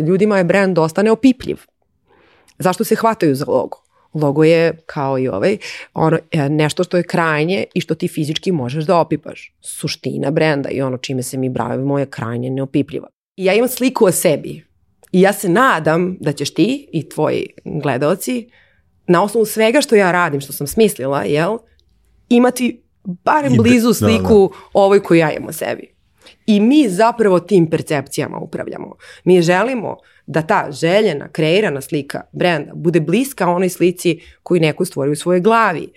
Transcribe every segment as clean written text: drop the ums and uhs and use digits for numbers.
Ljudima je brand dosta neopipljiv. Zašto se hvataju za logo? Logo je, kao i nešto što je krajnje i što ti fizički možeš da opipaš. Suština brenda i ono čime se mi bavimo je krajnje neopipljiva. I ja imam sliku o sebi i ja se nadam da ćeš ti i tvoji gledaoci na osnovu svega što ja radim, što sam smislila, imati barem blizu sliku ovoj koju ja imam o sebi. I mi zapravo tim percepcijama upravljamo. Mi želimo da ta željena, kreirana slika brenda bude bliska onoj slici koju neko stvori u svojoj glavi.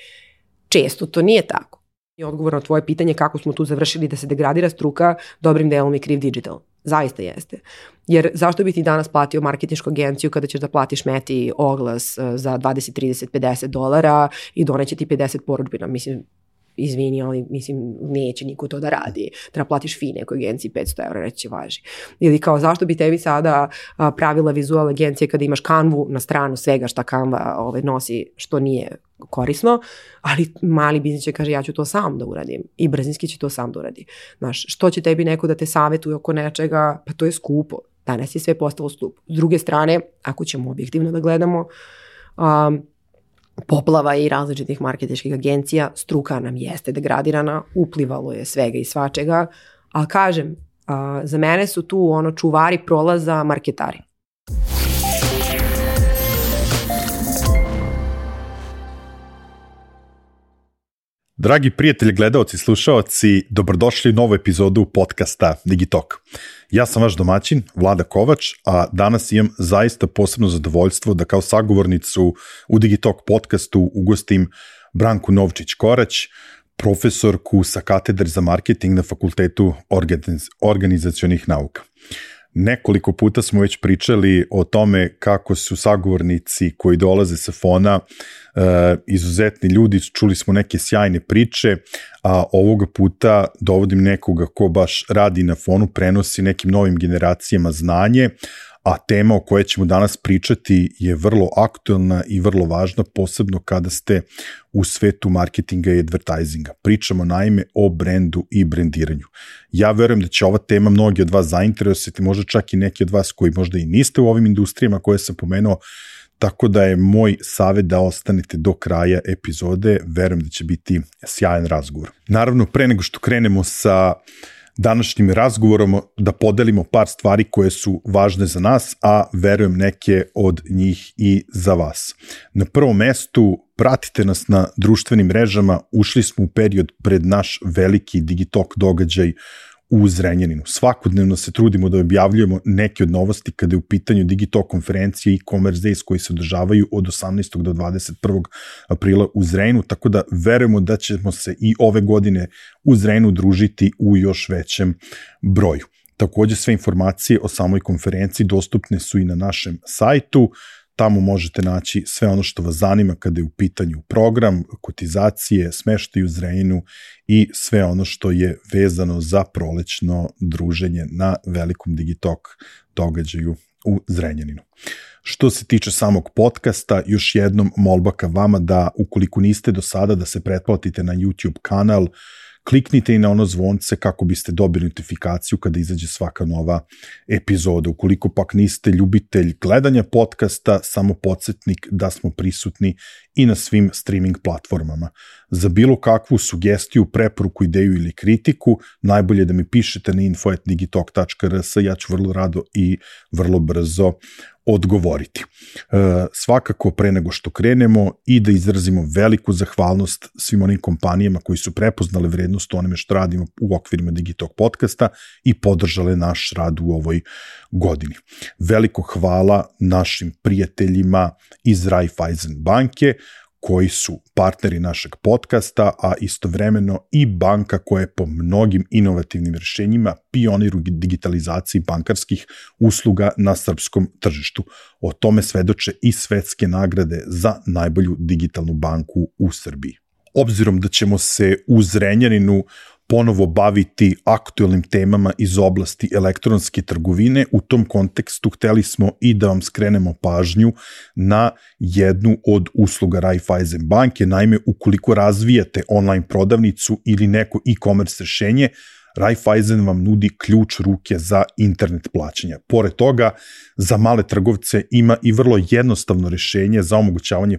Često to nije tako. I odgovor na tvoje pitanje kako smo tu završili da se degradira struka, dobrim delom je kriv digital. Zaista jeste. Jer zašto bi ti danas platio marketinšku agenciju kada ćeš da platiš Meti oglas za 20, 30, $50 i doneće ti 50 porudžbina? Mislim, izvini, ali neće niko to da radi. Treba platiš fee nekoj agenciji €500, reći važi. Ili kao zašto bi tebi sada pravila vizual agencije kada imaš Canvu na stranu svega šta Canva nosi što nije korisno, ali mali biznis će kaže ja ću to sam da uradim i brzinski će to sam da uradi. Znaš, što će tebi neko da te savjetuje oko nečega? Pa to je skupo. Danas je sve postalo skupo. S druge strane, ako ćemo objektivno da gledamo, poplava i različitih marketinških agencija, struka nam jeste degradirana, uplivalo je svega i svačega, ali kažem, za mene su tu čuvari prolaza marketari. Dragi prijatelji, gledaoci, slušaoci, dobrodošli u novu epizodu podcasta Digitalk. Ja sam vaš domaćin, Vlada Kovač, a danas imam zaista posebno zadovoljstvo da kao sagovornicu u Digitalk podcastu ugostim Branku Novčić-Korać, profesorku sa katedre za marketing na Fakultetu organizacionih nauka. Nekoliko puta smo već pričali o tome kako su sagovornici koji dolaze sa Fona izuzetni ljudi, čuli smo neke sjajne priče, a ovoga puta dovodim nekoga ko baš radi na Fonu, prenosi nekim novim generacijama znanje, a tema o kojoj ćemo danas pričati je vrlo aktuelna i vrlo važna, posebno kada ste u svetu marketinga i advertisinga. Pričamo naime o brendu i brendiranju. Ja verujem da će ova tema mnogi od vas zainteresovati, možda čak i neki od vas koji možda i niste u ovim industrijama koje sam pomenuo, tako da je moj savjet da ostanete do kraja epizode, verujem da će biti sjajan razgovor. Naravno, pre nego što krenemo sa današnjim razgovorom, da podelimo par stvari koje su važne za nas, a verujem neke od njih i za vas. Na prvom mestu, pratite nas na društvenim mrežama, ušli smo u period pred naš veliki Digitalk događaj u Zrenjaninu. Svakodnevno se trudimo da objavljujemo neke od novosti kada je u pitanju Digitalk konferencije i e-commerce days koji se održavaju od 18. do 21. aprila u Zrenjaninu, tako da verujemo da ćemo se i ove godine u Zrenjaninu družiti u još većem broju. Također sve informacije o samoj konferenciji dostupne su i na našem sajtu. Tamo možete naći sve ono što vas zanima kada je u pitanju program, kotizacije, smeštaj u Zrenjaninu i sve ono što je vezano za prolećno druženje na velikom Digitalk događaju u Zrenjaninu. Što se tiče samog podcasta, još jednom molba ka vama da ukoliko niste do sada da se pretplatite na YouTube kanal, kliknite i na ono zvonce kako biste dobili notifikaciju kada izađe svaka nova epizoda. Ukoliko pak niste ljubitelj gledanja podcasta, samo podsjetnik da smo prisutni i na svim streaming platformama. Za bilo kakvu sugestiju, preporuku, ideju ili kritiku, najbolje da mi pišete na info@digitalk.rs, ja ću vrlo rado i vrlo brzo odgovoriti. Svakako pre nego što krenemo i da izrazimo veliku zahvalnost svim onim kompanijama koji su prepoznale vrednost onome što radimo u okvirima Digitalk podcasta i podržale naš rad u ovoj godini. Veliko hvala našim prijateljima iz Raiffeisen banke koji su partneri našeg podcasta, a istovremeno i banka koja je po mnogim inovativnim rješenjima pionir u digitalizaciji bankarskih usluga na srpskom tržištu. O tome svedoče i svetske nagrade za najbolju digitalnu banku u Srbiji. Obzirom da ćemo se u Zrenjaninu ponovo baviti aktuelnim temama iz oblasti elektronske trgovine, u tom kontekstu hteli smo i da vam skrenemo pažnju na jednu od usluga Raiffeisen banke. Naime, ukoliko razvijate online prodavnicu ili neko e-commerce rešenje, Raiffeisen vam nudi ključ ruke za internet plaćanja. Pored toga, za male trgovce ima i vrlo jednostavno rešenje za omogućavanje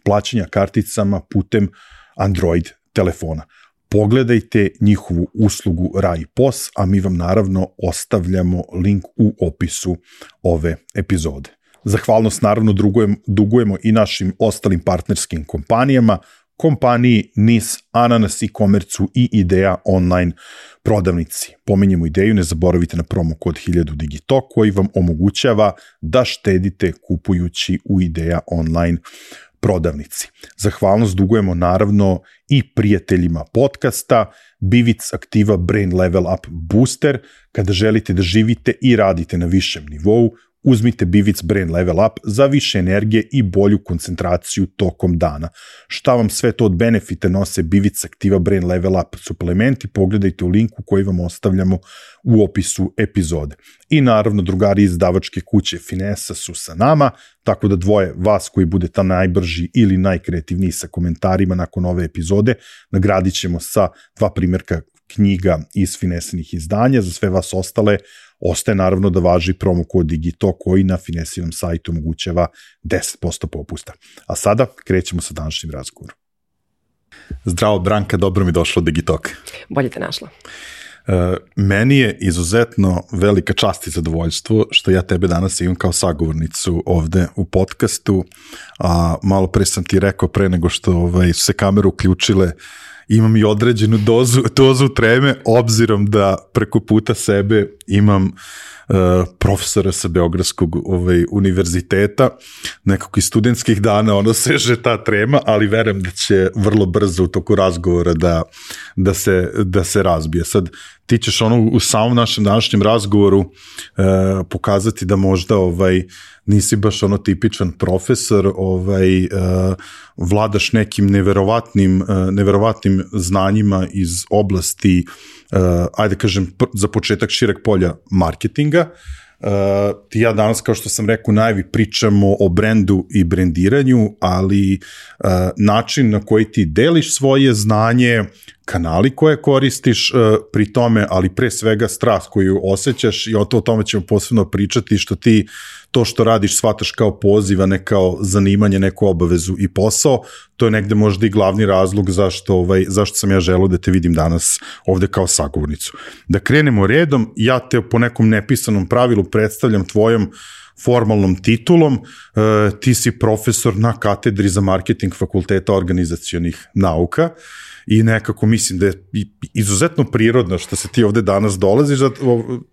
plaćanja karticama putem Android telefona. Pogledajte njihovu uslugu RaiPos, a mi vam naravno ostavljamo link u opisu ove epizode. Zahvalnost naravno dugujemo i našim ostalim partnerskim kompanijama, kompaniji NIS, Ananas e-commerce i Ideja online prodavnici. Pominjemo Ideju, ne zaboravite na promo kod 1000 Digitalk koji vam omogućava da štedite kupujući u Ideja online prodavnici. Zahvalnost dugujemo naravno i prijateljima podcasta, Bivic aktiva Brain Level Up Booster. Kada želite da živite i radite na višem nivou, uzmite Bivic Brain Level Up za više energije i bolju koncentraciju tokom dana. Šta vam sve to od benefita nose Bivic aktiva Brain Level Up suplementi, pogledajte u linku koji vam ostavljamo u opisu epizode. I naravno drugari iz izdavačke kuće Finesa su sa nama, tako da dvoje vas koji budete najbrži ili najkreativniji sa komentarima nakon ove epizode nagradit ćemo sa 2 primjerka knjiga iz Finesinih izdanja. Za sve vas ostale ostaje naravno da važi promo kod Digito koji na Finesinom sajtu omogućava 10% popusta. A sada krećemo sa današnjim razgovorom. Zdravo Branka, dobro mi došlo Digitalk. Bolje te našla. Meni je izuzetno velika čast i zadovoljstvo što ja tebe danas imam kao sagovornicu ovde u podcastu, a malo pre sam ti rekao pre nego što su se kamere uključile, imam i određenu dozu treme, obzirom da preko puta sebe imam profesora sa Beogradskog univerziteta, nekako iz studentskih dana seže ta trema, ali verujem da će vrlo brzo u toku razgovora da se razbije. Sad, ti ćeš u samom našem današnjem razgovoru pokazati da možda nisi baš tipičan profesor, vladaš nekim neverovatnim znanjima iz oblasti, ajde kažem, za početak šireg polja marketinga. Ti ja danas, kao što sam rekao, najvi pričamo o brendu i brendiranju, ali način na koji ti deliš svoje znanje, kanali koje koristiš pri tome, ali pre svega strast koju osjećaš, i o tome ćemo posebno pričati, što ti to što radiš shvataš kao poziv, a ne kao zanimanje, neku obavezu i posao. To je negde možda i glavni razlog zašto sam ja želeo da te vidim danas ovde kao sagovornicu. Da krenemo redom, ja te po nekom nepisanom pravilu predstavljam tvojom formalnom titulom, ti si profesor na katedri za marketing Fakulteta organizacionih nauka i nekako mislim da je izuzetno prirodno što se ti ovde danas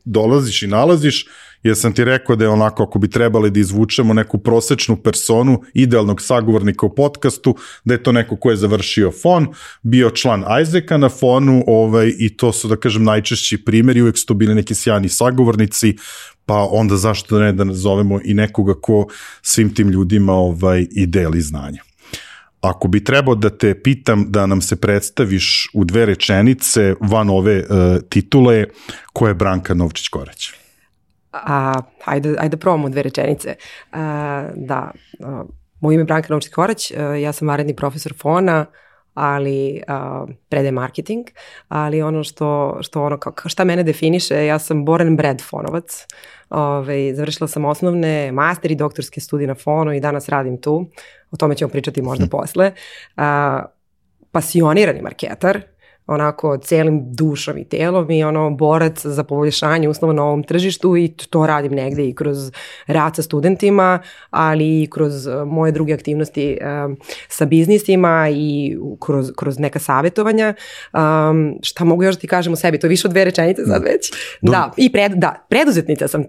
dolaziš i nalaziš, jer sam ti rekao da je onako, ako bi trebali da izvučemo neku prosečnu personu idealnog sagovornika u podcastu, da je to neko ko je završio FON, bio član Isaaca na FON-u i to su, da kažem, najčešći primjeri, uvek su to bili neki sjajni sagovornici, pa onda zašto ne da nazovemo i nekoga ko svim tim ljudima i deli znanja. Ako bi trebao da te pitam da nam se predstaviš u 2 rečenice van ove titule, ko je Branka Novčić-Korać? Ajde probamo 2 rečenice. Moje ime je Branka Novčić-Korać, ja sam vanredni profesor FON-a, ali predajem marketing, ali ono šta mene definiše, ja sam born and bred fonovac. Završila sam osnovne, master i doktorske studije na FON-u i danas radim tu. O tome ćemo pričati možda posle. Pasionirani marketar, onako celim dušom i telom i borac za poboljšanje uslova na ovom tržištu i to radim negde i kroz rad sa studentima, ali i kroz moje druge aktivnosti sa biznisima i kroz neka savjetovanja. Šta mogu još da ti kažem o sebi? To je više od 2 rečenice sad već. Preduzetnica sam.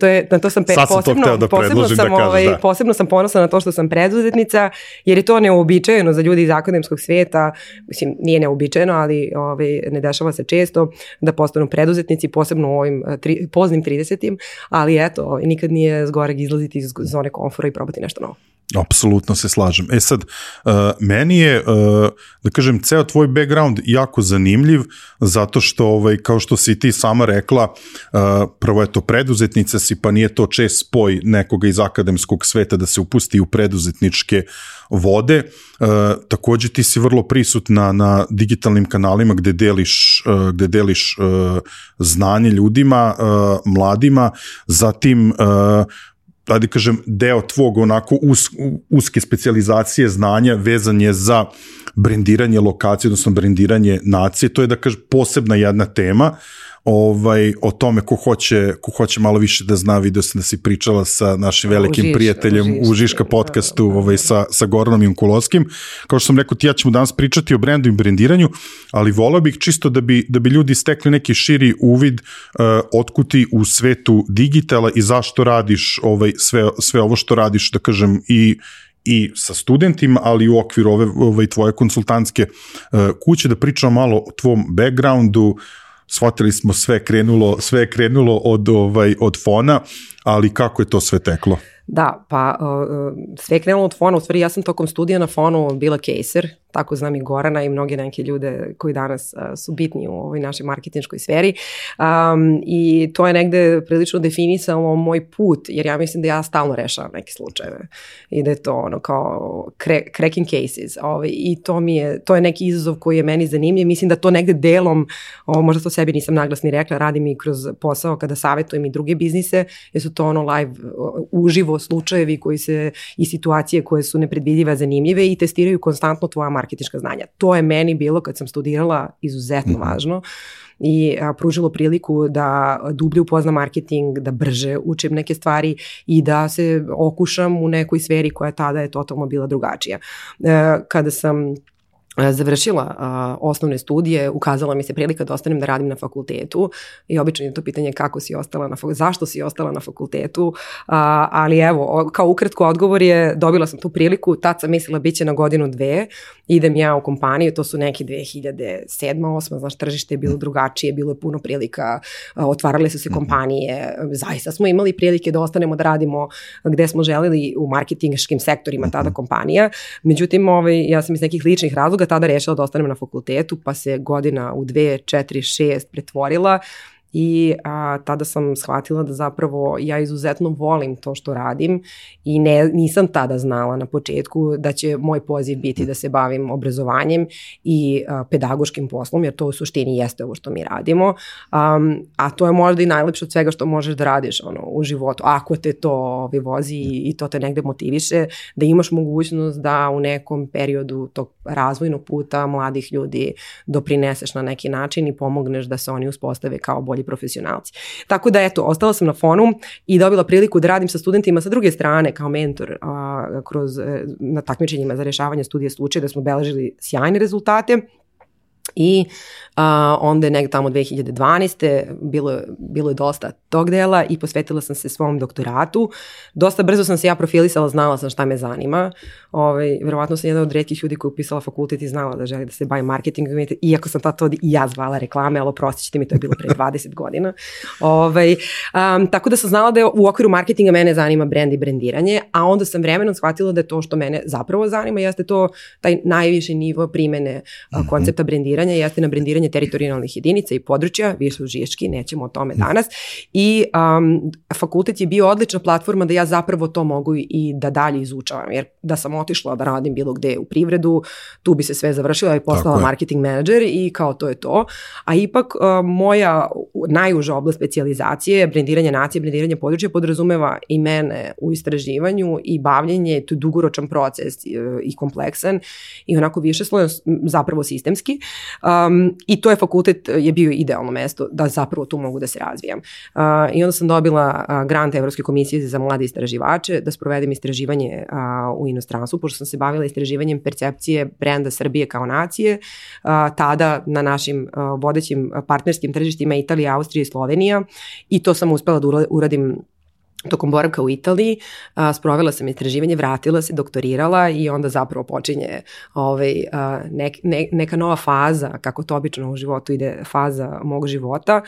Posebno sam ponosna na to što sam preduzetnica, jer je to neuobičajeno za ljudi iz akademskog svijeta. Mislim, nije neuobičajeno, ali ne dešava se često da postanu preduzetnici, posebno u ovim poznim 30-im, ali eto, nikad nije zgoreg izlaziti iz zone komfora i probati nešto novo. Apsolutno se slažem. Sad, meni je, da kažem, ceo tvoj background jako zanimljiv, zato što, kao što si ti sama rekla, prvo je to preduzetnica si, pa nije to čest spoj nekoga iz akademskog sveta da se upusti u preduzetničke vode. Takođe ti si vrlo prisutna na digitalnim kanalima gde deliš znanje ljudima, mladima, zatim da kažem, deo tvog onako uske specijalizacije znanja vezan je za brendiranje lokacije, odnosno brendiranje nacije. To je, da kažem, posebna jedna tema. O tome ko hoće malo više da zna, vidio sam da si pričala sa našim velikim prijateljem u Žiška podcastu sa Goranom Jankulovskim. Kao što sam rekao, ja ćemo danas pričati o brendu i brendiranju, ali volao bih čisto da bi ljudi stekli neki širi uvid otkud ti u svetu digitala i zašto radiš sve ovo što radiš, da kažem, i sa studentima, ali i u okviru ove tvoje konsultantske kuće, da pričamo malo o tvom backgroundu. Shvatili smo sve je krenulo od fona, ali kako je to sve teklo? Da, pa sve je krenulo od fona, u stvari ja sam tokom studija na fonu bila caser, tako znam i Gorana i mnoge neke ljude koji danas su bitni u ovoj našoj marketinškoj sferi i to je negde prilično definisalo moj put, jer ja mislim da ja stalno rešavam neke slučajeve i da je to ono kao cracking cases i to je neki izazov koji je meni zanimljiv, mislim da to negde delom, možda to sebi nisam naglasni rekla, radim i kroz posao kada savjetujem i druge biznise, jer su to ono live, uživo slučajevi i situacije koje su nepredvidive, zanimljive i testiraju konstantno tvoja marketinška znanja. To je meni bilo kad sam studirala izuzetno važno i pružilo priliku da dublje upoznam marketing, da brže učim neke stvari i da se okušam u nekoj sferi koja tada je totalno bila drugačija. Kada sam završila osnovne studije, ukazala mi se prilika da ostanem da radim na fakultetu i obično je to pitanje kako si ostala zašto si ostala na fakultetu, ali evo, kao ukratko odgovor je, dobila sam tu priliku, tad sam mislila bit će na godinu, dve, idem ja u kompaniju, to su neki 2007. 2008. Znaš, tržište je bilo drugačije, bilo je puno prilika, otvarale su se kompanije, zaista smo imali prilike da ostanemo da radimo gde smo želeli u marketinškim sektorima tada kompanija, međutim, ja sam iz nekih ličnih razloga tada rešila da ostanem na fakultetu, pa se godina u 2, 4, 6 pretvorila i tada sam shvatila da zapravo ja izuzetno volim to što radim i nisam tada znala na početku da će moj poziv biti da se bavim obrazovanjem i pedagoškim poslom, jer to u suštini jeste ovo što mi radimo, a to je možda i najlepše od svega što možeš da radiš u životu, ako te to vozi i to te negde motiviše, da imaš mogućnost da u nekom periodu tog razvojnog puta mladih ljudi doprineseš na neki način i pomogneš da se oni uspostave kao bolji profesionalci. Tako da eto, ostala sam na fonu i dobila priliku da radim sa studentima sa druge strane kao mentor na takmičenjima za rešavanje studija slučaja, da smo beležili sjajne rezultate. I onda je negdje tamo 2012. Bilo je dosta tog dela i posvetila sam se svom doktoratu. Dosta brzo sam se ja profilisala, znala sam šta me zanima. Verovatno sam jedna od retkih ljudi koji je upisala fakultet i znala da želi da se bavim marketingom, iako sam to i ja zvala reklame, ali oprostit ćete mi, to je bilo pre 20 godina. Tako da sam znala da je u okviru marketinga mene zanima brand i brendiranje, a onda sam vremenom shvatila da je to što mene zapravo zanima, jeste to taj najviši nivo primene koncepta brendiranja, jeste na brendiranje teritorijalnih jedinica i područja, više u Žiški, nećemo o tome danas. I fakultet je bio odlična platforma da ja zapravo to mogu i da dalje izučavam, jer da sam otišla da radim bilo gde u privredu, tu bi se sve završila i postala marketing menadžer i kao to je to. A ipak moja najuža oblast specijalizacije, brendiranje nacije, brendiranje područja podrazumeva i mene u istraživanju i bavljenje, to je dugoročan proces i kompleksan i onako više slojan, zapravo sistemski. I to je fakultet je bio idealno mesto da zapravo tu mogu da se razvijam. I onda sam dobila grant Evropske komisije za mlade istraživače da sprovedem istraživanje u inostranstvu, pošto sam se bavila istraživanjem percepcije brenda Srbije kao nacije, tada na našim vodećim partnerskim tržištima Italija, Austrija i Slovenija, i to sam uspela da uradim tokom boravka u Italiji. Sprovela sam istraživanje, vratila se, doktorirala i onda zapravo počinje neka nova faza, kako to obično u životu ide, faza mog života.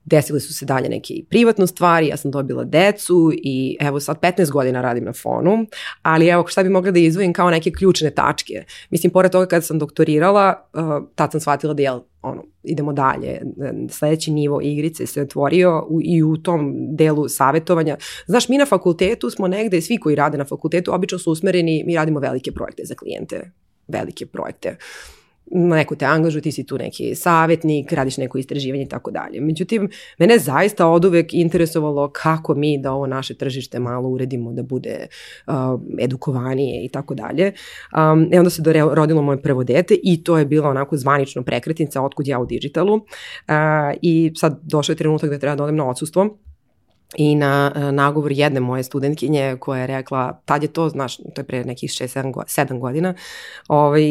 desile su se dalje neke i privatne stvari, ja sam dobila decu i evo sad 15 godina radim na Fonu, ali evo šta bi mogla da izvojim kao neke ključne tačke. Mislim, pored toga kada sam doktorirala, tad sam shvatila da idemo dalje. Sledeći nivo igrice se otvorio i u tom delu savjetovanja. Znaš, mi na fakultetu smo negde, svi koji rade na fakultetu, obično su usmereni, mi radimo velike projekte za klijente, velike projekte. Neko te angažuje, ti si tu neki savjetnik, radiš neko istraživanje i tako dalje. Međutim, mene zaista oduvek interesovalo kako mi da ovo naše tržište malo uredimo, da bude edukovanije i tako dalje. Onda se rodilo moje prvo dete i to je bila onako zvanično prekretnica otkud ja u digitalu. I sad došao je trenutak da treba da odem na odsustvo. I na nagovor jedne moje studentkinje koja je rekla, tad je to, znaš, to je pre nekih 6-7 godina,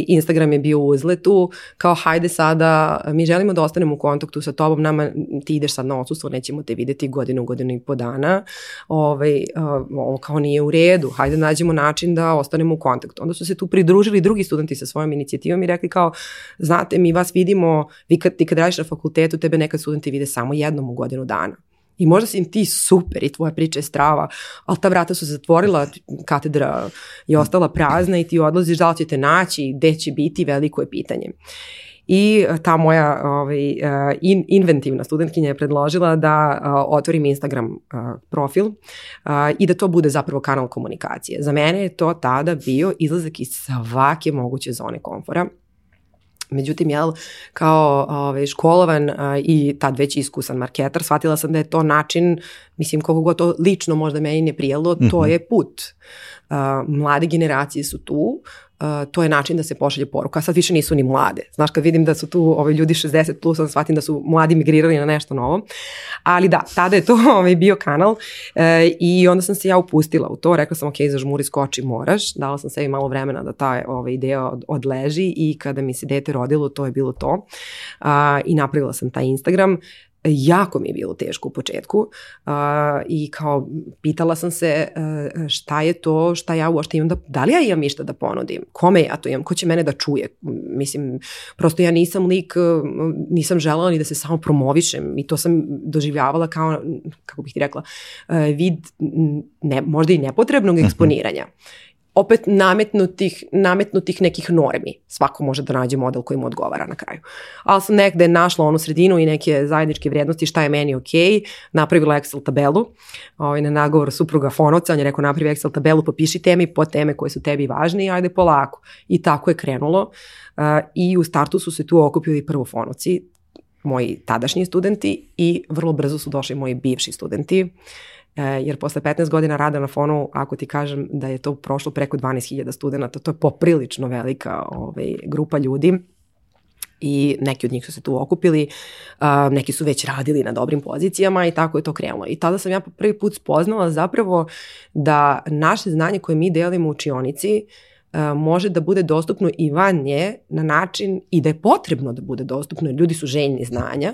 Instagram je bio u uzletu, kao hajde sada, mi želimo da ostanemo u kontaktu sa tobom, nama ti ideš sad na odsustvo, nećemo te videti godinu i po dana, ovo kao nije u redu, hajde nađemo način da ostanemo u kontaktu. Onda su se tu pridružili drugi studenti sa svojom inicijativom i rekli kao, znate, mi vas vidimo, ti kad radiš na fakultetu, tebe nekad studenti vide samo jednom u godinu dana. I možda si im ti super i tvoja priča je strava, ali ta vrata su se zatvorila, katedra je ostala prazna i ti odlaziš, da li ćete naći, gde će biti, veliko je pitanje. I ta moja inventivna studentkinja je predložila da otvorim Instagram profil i da to bude zapravo kanal komunikacije. Za mene je to tada bio izlazak iz svake moguće zone komfora. Međutim, kao školovan i tad već iskusan marketar, shvatila sam da je to način, mislim, koliko god to lično možda meni ne prijelo, to je put. Mlade generacije su tu, to je način da se pošalje poruka, a sad više nisu ni mlade. Znaš, kad vidim da su tu ljudi 60 plus, onda shvatim da su mladi migrirali na nešto novo. Ali da, tada je to bio kanal i onda sam se ja upustila u to, rekla sam ok, zažmuri, skoči, moraš. Dala sam sebi malo vremena da ta ideja odleži i kada mi se dete rodilo, to je bilo to. I napravila sam taj Instagram. Jako mi je bilo teško u početku i kao pitala sam se šta je to, šta ja uopšte imam, da li ja imam išta da ponudim, kome ja to imam, ko će mene da čuje, mislim, prosto ja nisam lik, nisam želela ni da se samo promovišem i to sam doživljavala kao, kako bih ti rekla, vid možda i nepotrebnog eksponiranja. Opet nametnutih nekih normi. Svako može da nađe model koji mu odgovara na kraju. Ali sam negde našla onu sredinu i neke zajedničke vrijednosti šta je meni ok. Napravila Excel tabelu. Na nagovor supruga Fonovca, on je rekao napravi Excel tabelu, popiši teme i podteme koje su tebi važne i ajde polako. I tako je krenulo. I u startu su se tu okupili prvo Fonovci, moji tadašnji studenti i vrlo brzo su došli moji bivši studenti. Jer posle 15 godina rada na Fonu, ako ti kažem da je to prošlo preko 12.000 studenta, to je poprilično velika grupa ljudi i neki od njih su se tu okupili, neki su već radili na dobrim pozicijama i tako je to krenulo. I tada sam ja prvi put spoznala zapravo da naše znanje koje mi delimo u učionici može da bude dostupno i van nje na način i da je potrebno da bude dostupno, jer ljudi su željni znanja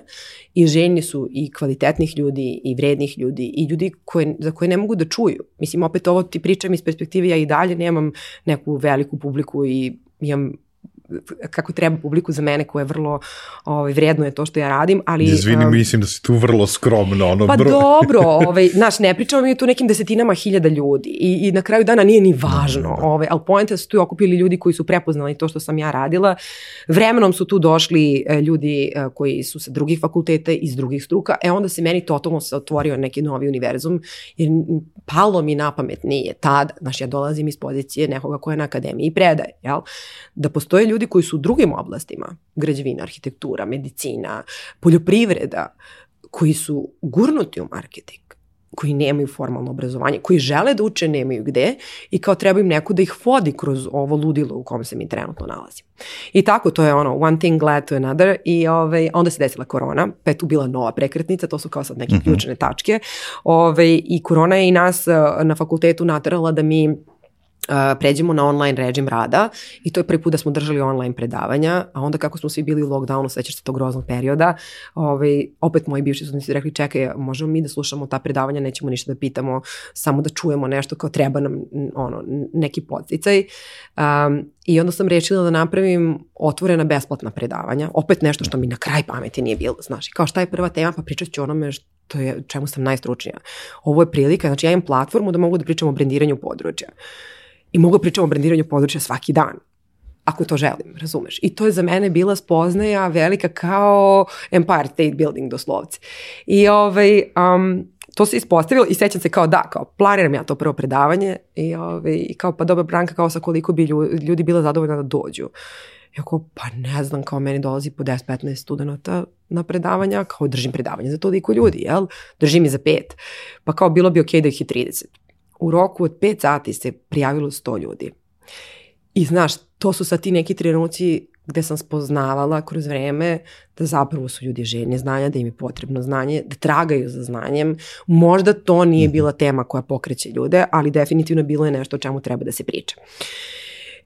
i željni su i kvalitetnih ljudi i vrednih ljudi i ljudi za koje ne mogu da čuju. Mislim, opet ovo ti pričam iz perspektive, ja i dalje nemam neku veliku publiku i imam kako treba publiku za mene koja je vrlo vredno je to što ja radim, ali... Izvini, mislim da si tu vrlo skromno. Pa dobro, znaš, ne pričamo mi tu nekim desetinama hiljada ljudi i na kraju dana nije ni važno, ali poenta su tu okupili ljudi koji su prepoznali to što sam ja radila. Vremenom su tu došli ljudi koji su sa drugih fakulteta, iz drugih struka, onda se meni totalno se otvorio neki novi univerzum, jer palo mi na pamet nije tada, znaš, ja dolazim iz pozicije nekoga koja je na akademiji i predaje, jel? Da postoje ljudi koji su u drugim oblastima, građevina, arhitektura, medicina, poljoprivreda, koji su gurnuti u marketing, koji nemaju formalno obrazovanje, koji žele da uče, nemaju gde i kao treba im neko da ih vodi kroz ovo ludilo u kom se mi trenutno nalazimo. I tako, to je one thing led to another i onda se desila korona, pa je tu bila nova prekretnica, to su kao sad neke ključne tačke i korona je i nas na fakultetu naterala da mi pređemo na online režim rada i to je prvi put da smo držali online predavanja, a onda kako smo svi bili u lockdownu, sećaš se tog groznog perioda, opet moji bivši studenti su rekli čekaj, možemo mi da slušamo ta predavanja, nećemo ništa da pitamo, samo da čujemo nešto kao treba nam neki podsticaj. I onda sam rešila da napravim otvorena besplatna predavanja, opet nešto što mi na kraj pameti nije bilo, znaš, kao šta je prva tema, pa pričat ću onome što je, čemu sam najstručnija. Ovo je prilika, znači ja imam platformu da mogu da pričam o brendiranju područja. I mogu pričati o brendiranju područja svaki dan, ako to želim, razumeš. I to je za mene bila spoznaja velika kao Empire State Building doslovce. I to se ispostavilo i sećam se kao planiram ja to prvo predavanje i kao pa dobra Branka, kao sa koliko bi ljudi bila zadovoljna da dođu. Ja kao pa ne znam, kao meni dolazi po 10-15 studenta na predavanja, kao držim predavanje za toliko ljudi, jel? Držim i za 5. Pa kao bilo bi okej da ih je 30. U roku od 5 sati se prijavilo 100 ljudi. I znaš, to su sad ti neki trenuci gde sam spoznavala kroz vreme da zapravo su ljudi željni znanja, da im je potrebno znanje, da tragaju za znanjem. Možda to nije bila tema koja pokreće ljude, ali definitivno bilo je nešto o čemu treba da se priča.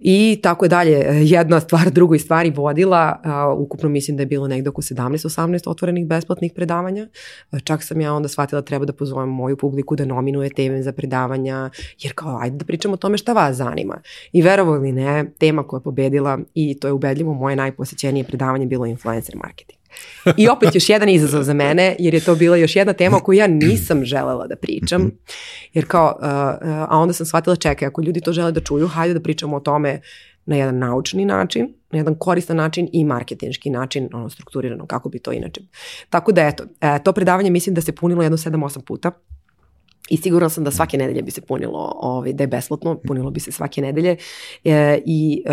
I tako je dalje, jedna stvar drugoj stvari vodila, ukupno mislim da je bilo negde oko 17-18 otvorenih besplatnih predavanja, čak sam ja onda shvatila treba da pozovem moju publiku da nominuje teme za predavanja, jer kao ajde da pričamo o tome šta vas zanima. I verovali ili ne, tema koja je pobedila i to je ubedljivo moje najposećenije predavanje bilo influencer marketing. I opet još jedan izazov za mene, jer je to bila još jedna tema o kojoj ja nisam želela da pričam, jer kao, a onda sam shvatila čekaj, ako ljudi to žele da čuju, hajde da pričamo o tome na jedan naučni način, na jedan koristan način i marketinški način, strukturirano, kako bi to inače. Tako da eto, to predavanje mislim da se punilo jedno 7-8 puta. I sigurno sam da svake nedelje bi se punilo, da je besplatno, punilo bi se svake nedelje i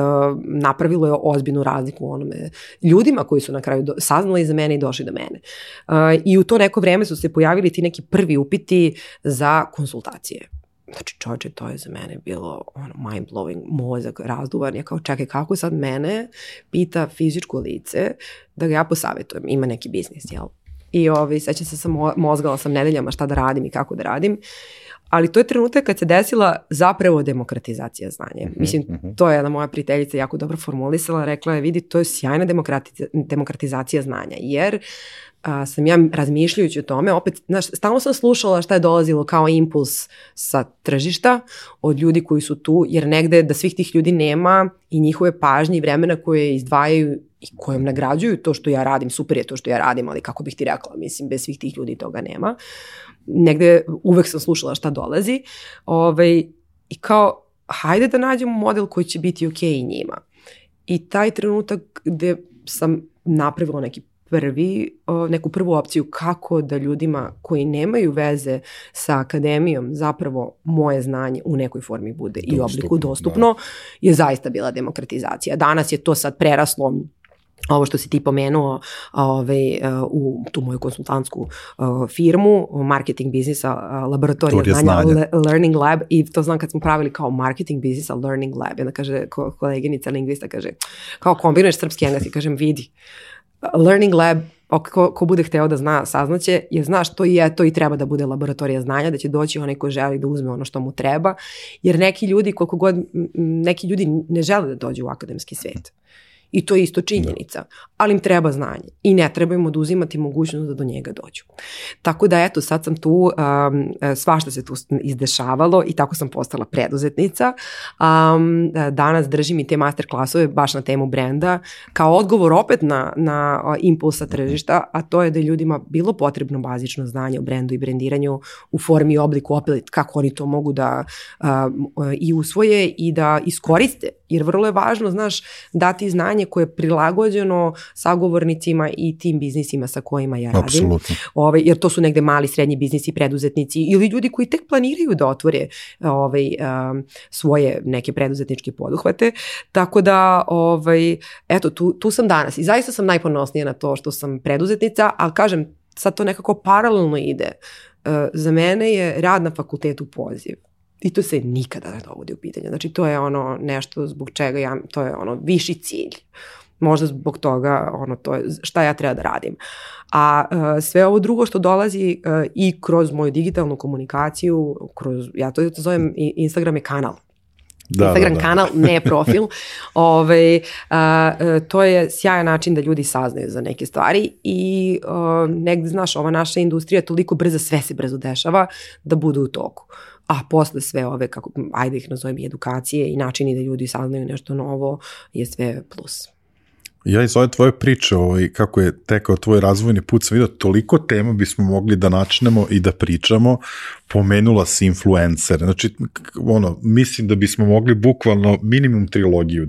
napravilo je ozbiljnu razliku u onome ljudima koji su na kraju saznali za mene i došli do mene. I u to neko vreme su se pojavili ti neki prvi upiti za konsultacije. Znači čovječe, to je za mene bilo mind-blowing, mozak razduvan. Ja kao čekaj, kako sad mene pita fizičko lice da ga ja posavetujem, ima neki biznis, jel? I sećam se mozgala sam nedeljama šta da radim i kako da radim, ali to je trenutak kad se desila zapravo demokratizacija znanja. Mislim, to je jedna moja prijateljica jako dobro formulisala, rekla je vidi, to je sjajna demokratizacija znanja, jer sam ja razmišljajući o tome, opet, znaš, stalno sam slušala šta je dolazilo kao impuls sa tržišta od ljudi koji su tu, jer negde da svih tih ljudi nema i njihove pažnje i vremena koje izdvajaju i kojom nagrađuju to što ja radim, super je to što ja radim, ali kako bih ti rekla, mislim, bez svih tih ljudi toga nema. Negde uvek sam slušala šta dolazi i kao, hajde da nađemo model koji će biti okej i njima. I taj trenutak gde sam napravila neku prvu opciju kako da ljudima koji nemaju veze sa akademijom zapravo moje znanje u nekoj formi bude i obliku dostupno, je zaista bila demokratizacija. Danas je to sad preraslo ovo što si ti pomenuo u tu moju konsultantsku firmu, marketing biznisa, laboratorija znanja, Learning Lab, i to znam kad smo pravili kao marketing biznisa, Learning Lab, onda kaže koleginica lingvista, kaže, kao kombinuješ srpski i engleski, kažem vidi, Learning Lab, ko bude hteo da zna, saznaće, jer znaš, to je to i treba da bude laboratorija znanja, da će doći onaj ko želi da uzme ono što mu treba, jer neki ljudi, koliko god, neki ljudi ne žele da dođu u akademski svet. I to je isto činjenica, ali im treba znanje i ne treba im oduzimati mogućnost da do njega dođu. Tako da eto, sad sam tu, svašta se tu izdešavalo i tako sam postala preduzetnica. Danas držim i te master klasove baš na temu brenda, kao odgovor opet na impulsa tržišta, a to je da je ljudima bilo potrebno bazično znanje o brendu i brendiranju u formi i obliku, opet kako oni to mogu da i usvoje i da iskoriste, jer vrlo je važno, znaš, dati znanje koje je prilagođeno sagovornicima i tim biznisima sa kojima ja radim. Apsolutno. Jer to su negde mali, srednji biznisi, preduzetnici ili ljudi koji tek planiraju da otvore svoje neke preduzetničke poduhvate. Tako da, eto, tu sam danas i zaista sam najponosnija na to što sam preduzetnica, ali kažem, sad to nekako paralelno ide. Za mene je rad na fakultetu poziv. I to se nikada ne dovodi u pitanje. Znači, to je ono nešto zbog čega to je ono viši cilj. Možda zbog toga, to je šta ja treba da radim. A sve ovo drugo što dolazi i kroz moju digitalnu komunikaciju, ja to zovem Instagram je kanal. Instagram kanal, ne profil. To je sjajan način da ljudi saznaju za neke stvari i negde, znaš, ova naša industrija je toliko brza, sve se brzo dešava, da budu u toku. A posle sve ove, ajde ih nazovem, i edukacije i načini da ljudi saznaju nešto novo je sve plus. Ja iz ove tvoje priče, kako je tekao tvoj razvojni put, sam vidio toliko tema bismo mogli da načnemo i da pričamo. Pomenula si influencere. Znači, mislim da bismo mogli bukvalno minimum trilogiju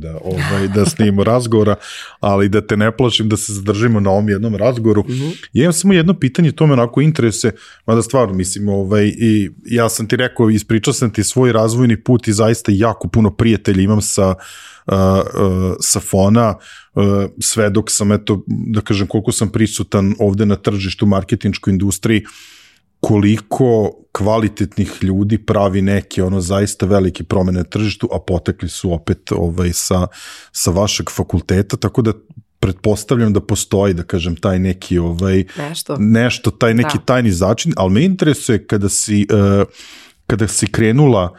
da snimimo razgovora, ali da te ne plašim da se zadržimo na ovom jednom razgovoru. Ja imam samo jedno pitanje, to me onako interesuje, mada stvarno, mislim, i ja sam ti rekao, ispričao sam ti svoj razvojni put i zaista jako puno prijatelja imam sa fona, sve dok sam, da kažem, koliko sam prisutan ovde na tržištu, marketinškoj industriji, koliko kvalitetnih ljudi pravi neke zaista velike promene na tržištu, a potekli su opet sa vašeg fakulteta, tako da pretpostavljam da postoji, da kažem, taj neki nešto, taj neki tajni začin, ali me interesuje kada si krenula,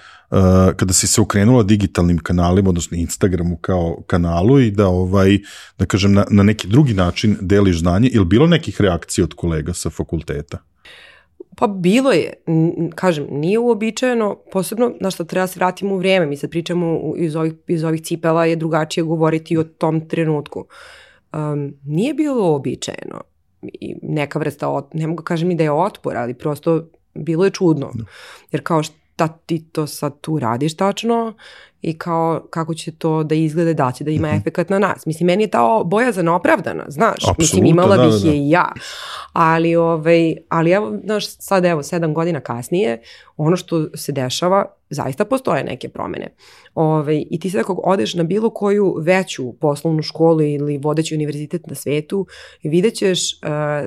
kada si se okrenula digitalnim kanalima, odnosno Instagramu kao kanalu i da kažem, na neki drugi način deliš znanje, ili bilo nekih reakcija od kolega sa fakulteta? Pa bilo je, kažem, nije uobičajeno, posebno na što treba se vratimo u vrijeme, mi sad pričamo iz ovih cipela, je drugačije govoriti o tom trenutku. Nije bilo uobičajeno, neka vrsta, ne mogu kažem ni da je otpor, ali prosto bilo je čudno, jer kao šta ti to sad tu radiš tačno i kao kako će to da izgleda, da će da ima efekat na nas. Mislim, meni je ta bojazan opravdana, znaš, mislim, imala bih je i ja, ali evo, znaš, sad evo 7 godina kasnije, ono što se dešava, zaista postoje neke promene. I ti sad ako odeš na bilo koju veću poslovnu školu ili vodeći univerzitet na svetu, vidjet ćeš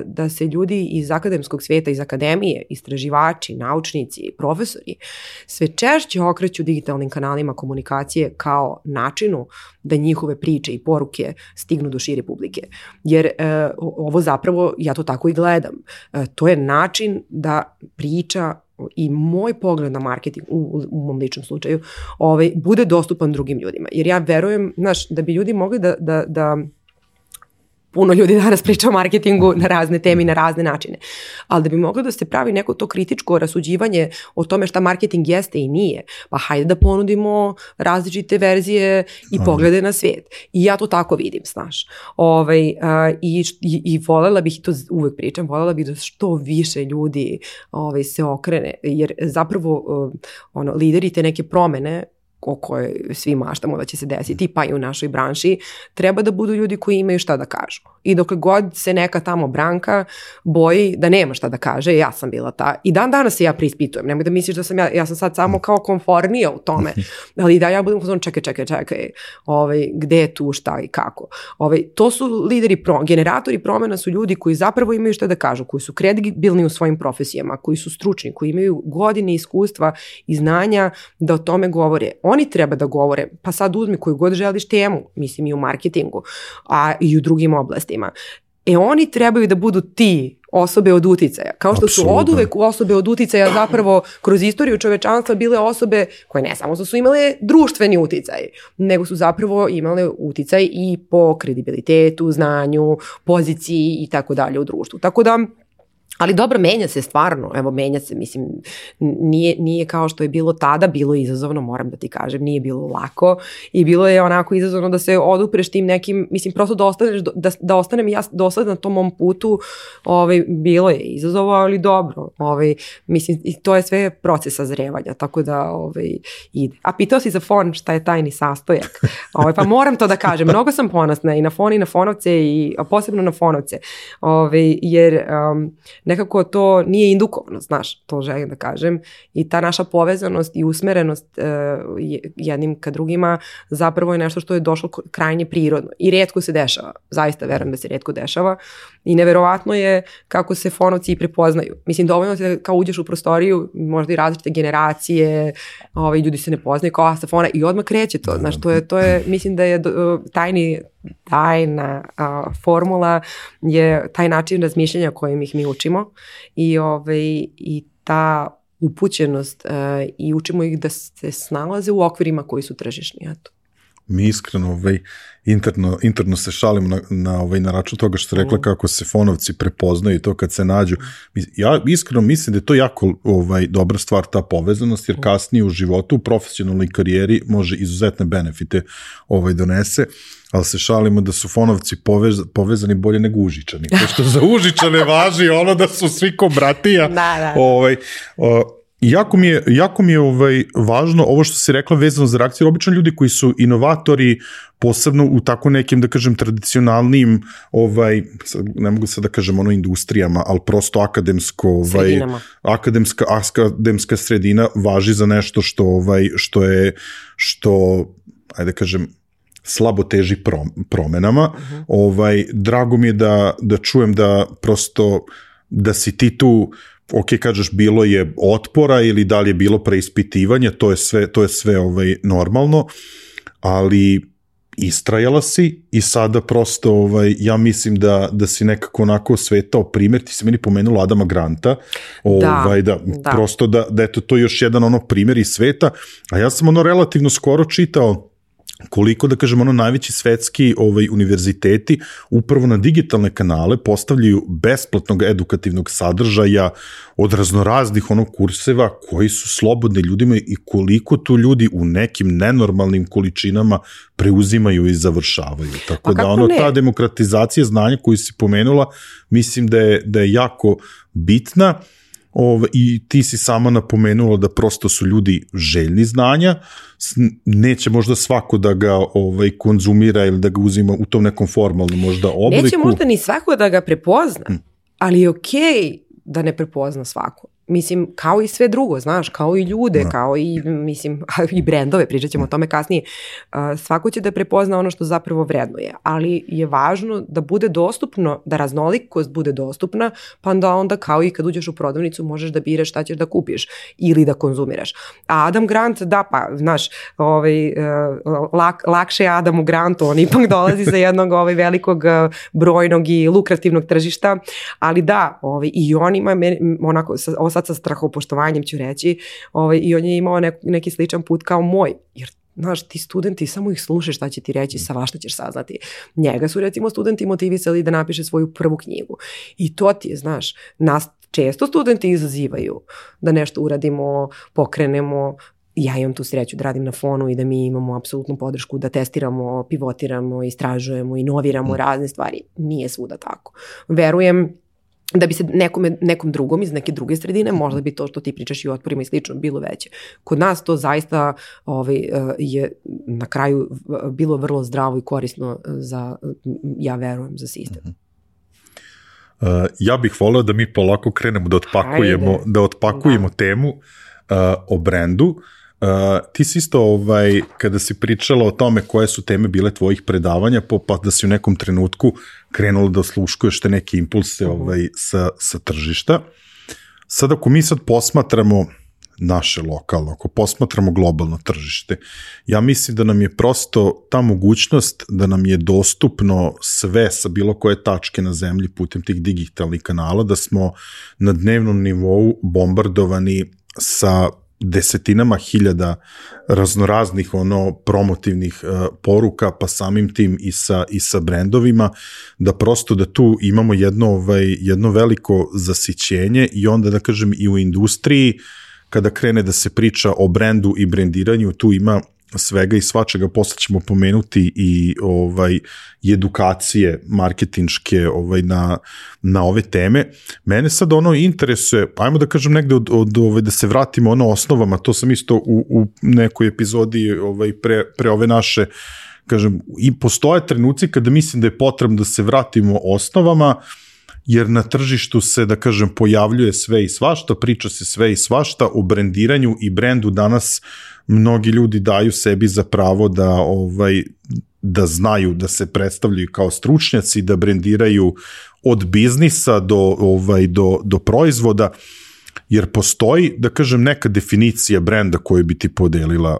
da se ljudi iz akademskog sveta, iz akademije, istraživači, naučnici, profesori, sve češće okreću digitalnim kanalima komunikacije kao načinu da njihove priče i poruke stignu do šire publike. Jer ovo zapravo, ja to tako i gledam, to je način da priča i moj pogled na marketing u mom ličnom slučaju bude dostupan drugim ljudima. Jer ja verujem, znaš, da bi ljudi mogli da puno ljudi danas priča o marketingu na razne teme i na razne načine, ali da bi moglo da se pravi neko to kritičko rasuđivanje o tome šta marketing jeste i nije, pa hajde da ponudimo različite verzije i poglede na svijet. I ja to tako vidim, znaš. I voljela bih, i to uvek pričam, voljela bih da što više ljudi se okrene, jer zapravo lideri te neke promene o kojoj svi maštamo da će se desiti, pa i u našoj branši, treba da budu ljudi koji imaju šta da kažu. I dok god se neka tamo Branka boji da nema šta da kaže, ja sam bila ta. I dan danas se ja preispitujem. Nemoj da misliš da sam ja sam sad samo kao konfornija u tome. Ali da ja budem u tom čekaj, gde je tu, šta i kako. To su lideri, generatori promjena su ljudi koji zapravo imaju šta da kažu, koji su kredibilni u svojim profesijama, koji su stručni, koji imaju godine iskustva i znanja da o tome govore. Oni treba da govore, pa sad uzmi koju god želiš temu, mislim i u marketingu, a i u drugim oblastima. Oni trebaju da budu ti osobe od uticaja. Kao što su oduvek osobe od uticaja zapravo kroz istoriju čovečanstva bile osobe koje ne samo su imale društveni uticaj, nego su zapravo imale uticaj i po kredibilitetu, znanju, poziciji i tako dalje u društvu. Tako da, ali dobro, menja se stvarno, evo menja se, mislim, nije kao što je bilo tada, bilo je izazovno, moram da ti kažem, nije bilo lako i bilo je onako izazovno da se odupreš tim nekim, mislim, prosto da ostanem ja dosledna na tom mom putu, bilo je izazovo, ali dobro, mislim, i to je sve proces sazrevanja, tako da ide. A pitao si za fon, šta je tajni sastojak, pa moram to da kažem, mnogo sam ponosna i na fon i na fonovce, a posebno na fonovce, jer nekako to nije indukovano, znaš, to želim da kažem, i ta naša povezanost i usmerenost jednim ka drugima zapravo je nešto što je došlo krajnje prirodno i rijetko se dešava, zaista verujem da se rijetko dešava i neverovatno je kako se fonovci i prepoznaju. Mislim, dovoljno se kao uđeš u prostoriju, možda i različite generacije, ljudi se ne poznaju kao sa fona i odmah kreće to, znaš, to je, mislim da je tajna formula je taj način razmišljanja kojim ih mi učimo i ta upućenost i učimo ih da se snalaze u okvirima koji su tržišni. Eto. Mi iskreno interno se šalimo na račun toga što rekla kako se fonovci prepoznaju i to kad se nađu. Ja iskreno mislim da je to jako dobra stvar, ta povezanost, jer kasnije u životu, u profesionalnoj karijeri može izuzetne benefite donese, ali se šalimo da su fonovci povezani bolje nego Užičani. Pošto za Užičane važi ono da su svi ko bratija. Da. Jako mi je važno ovo što si rekla vezano za reakciju. Obično ljudi koji su inovatori, posebno u tako nekim, da kažem, tradicionalnim, ne mogu sad da kažem industrijama, ali prosto akademska sredina važi za nešto što ajde da kažem, slabo teži promenama. Drago mi je da čujem da prosto, da si ti tu, ok, kažeš bilo je otpora ili da li je bilo preispitivanje, to je sve normalno, ali istrajala si i sada prosto ja mislim da si nekako onako svetao primjer. Ti si meni pomenula Adama Granta, prosto da eto to je još jedan primjer iz sveta, a ja sam relativno skoro čitao koliko, da kažem, najveći svetski univerziteti upravo na digitalne kanale postavljaju besplatnog edukativnog sadržaja od raznoraznih kurseva koji su slobodni ljudima i koliko tu ljudi u nekim nenormalnim količinama preuzimaju i završavaju. Tako da ta demokratizacija znanja koju si pomenula, mislim da je jako bitna. I ti si sama napomenula da prosto su ljudi željni znanja, neće možda svako da ga konzumira ili da ga uzima u tom nekom formalnom možda obliku. Neće možda ni svako da ga prepozna, ali je okej da ne prepozna svako. Mislim, kao i sve drugo, znaš, kao i ljude, kao i, mislim, i brendove, pričat ćemo o tome kasnije. Svako će da prepozna ono što zapravo vrednuje, ali je važno da bude dostupno, da raznolikost bude dostupna, pa onda kao i kad uđeš u prodavnicu možeš da biraš šta ćeš da kupiš ili da konzumiraš. A Adam Grant, da pa, znaš, lakše je Adamu Grantu, on ipak dolazi sa jednog velikog, brojnog i lukrativnog tržišta, ali da, i on ima onako, sad sa strahopoštovanjem ću reći, i on je imao neki sličan put kao moj, jer znaš, ti studenti, samo ih slušaš šta će ti reći, svašta ćeš saznati. Njega su recimo studenti motivisali da napiše svoju prvu knjigu. I to ti je, znaš, nas često studenti izazivaju da nešto uradimo, pokrenemo. Ja imam tu sreću da radim na Fonu i da mi imamo apsolutnu podršku da testiramo, pivotiramo, istražujemo, inoviramo razne stvari. Nije svuda tako. Verujem da bi se nekom drugom iz neke druge sredine, možda bi to što ti pričaš i o otporima i slično bilo veće. Kod nas to zaista je na kraju bilo vrlo zdravo i korisno za, ja verujem, za sistem. Ja bih voleo da mi polako krenemo da otpakujemo temu o brendu. Ti si isto, kada si pričala o tome koje su teme bile tvojih predavanja, pa da si u nekom trenutku krenula da osluškuješ te neke impulse sa tržišta. Sad ako mi sad posmatramo naše lokalno, ako posmatramo globalno tržište, ja mislim da nam je prosto ta mogućnost da nam je dostupno sve sa bilo koje tačke na zemlji putem tih digitalnih kanala, da smo na dnevnom nivou bombardovani sa desetinama hiljada raznoraznih promotivnih poruka, pa samim tim i sa brendovima, da prosto da tu imamo jedno veliko zasićenje i onda da kažem i u industriji kada krene da se priča o brendu i brendiranju, tu ima svega i svačega, posle ćemo pomenuti i edukacije marketinške na ove teme. Mene sad interesuje, ajmo da kažem negde da se vratimo osnovama, to sam isto u nekoj epizodi pre ove naše, kažem, i postoje trenuci kada mislim da je potrebno da se vratimo osnovama, jer na tržištu se, da kažem, pojavljuje sve i svašta, priča se sve i svašta, o brendiranju i brendu danas mnogi ljudi daju sebi za pravo da znaju, da se predstavljaju kao stručnjaci, da brendiraju od biznisa do proizvoda, jer postoji, da kažem, neka definicija brenda koju bi ti podelila,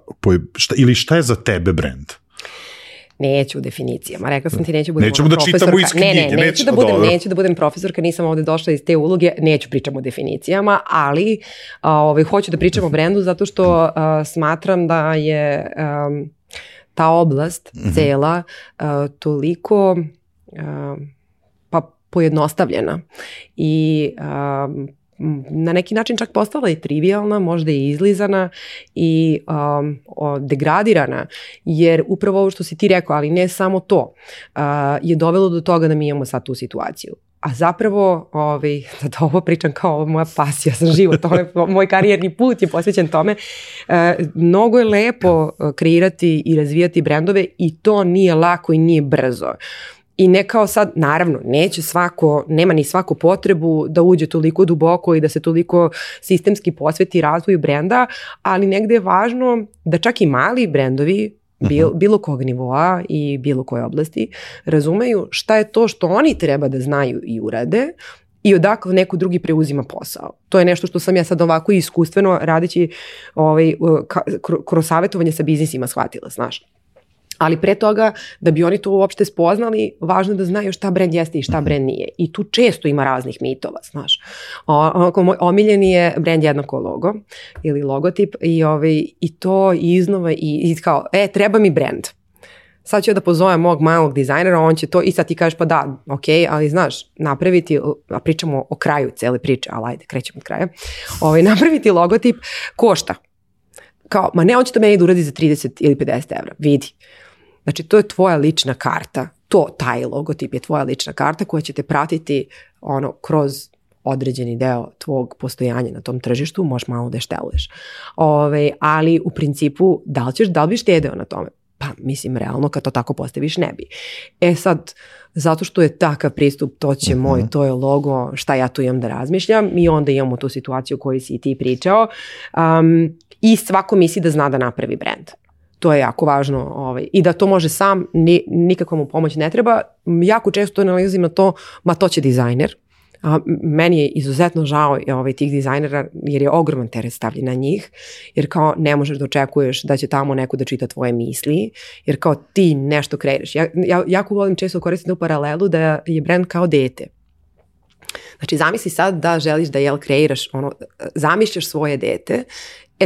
ili šta je za tebe brend? Neću u definicijama. Rekla sam ti neću budem Nećemo da čitamo iz knjige. Neću da budem profesorka, nisam ovde došla iz te uloge, neću pričamo o definicijama, ali hoću da pričam o brendu zato što smatram da je ta oblast cela toliko pojednostavljena i na neki način čak postala i trivialna, možda i izlizana i degradirana, jer upravo ovo što si ti rekao, ali ne samo to, je dovelo do toga da mi imamo sad tu situaciju. A zapravo, da ovo pričam kao moja pasija za život, moj karijerni put je posvećen tome, mnogo je lepo kreirati i razvijati brendove i to nije lako i nije brzo. I ne kao sad, naravno, nema ni svako potrebu da uđe toliko duboko i da se toliko sistemski posveti razvoju brenda, ali negde je važno da čak i mali brendovi bilo kog nivoa i bilo koje oblasti razumeju šta je to što oni treba da znaju i urade i odakle neko drugi preuzima posao. To je nešto što sam ja sad ovako iskustveno radeći kroz savjetovanje sa biznisima shvatila, znaš. Ali pre toga, da bi oni to uopšte spoznali, važno je da znaju šta brend jeste i šta brend nije. I tu često ima raznih mitova, znaš. Moj omiljeni je brend jednako logo ili logotip i to iznova i kao, treba mi brend. Sad ću da pozovem mog malog dizajnera, on će to i sad ti kažeš pa da, ok, ali znaš, napraviti, a pričamo o kraju cele priče, ali ajde, krećemo od kraja, napraviti logotip košta. Kao, ma ne, on će to meni da uradi za 30 ili 50 evra, vidi. Znači, to je tvoja lična karta. Taj logotip je tvoja lična karta koja će te pratiti kroz određeni deo tvog postojanja na tom tržištu, možeš malo da šteluješ. Ali u principu, da li bi štedeo na tome? Pa, mislim, realno, kad to tako postaviš, ne bi. Sad, zato što je takav pristup, to je logo, šta ja tu imam da razmišljam i onda imamo tu situaciju koju si i ti pričao i svako misli da zna da napravi brend. To je jako važno i da to može sam, nikakva mu pomoć ne treba. Jako često analizim na to, to će dizajner. Meni je izuzetno žao tih dizajnera jer je ogroman teret stavljen na njih, jer kao ne možeš da očekuješ da će tamo neko da čita tvoje misli, jer kao ti nešto kreiraš. Ja jako volim često koristiti u paralelu da je brend kao dete. Znači zamisli sad da želiš da kreiraš, zamišljaš svoje dete,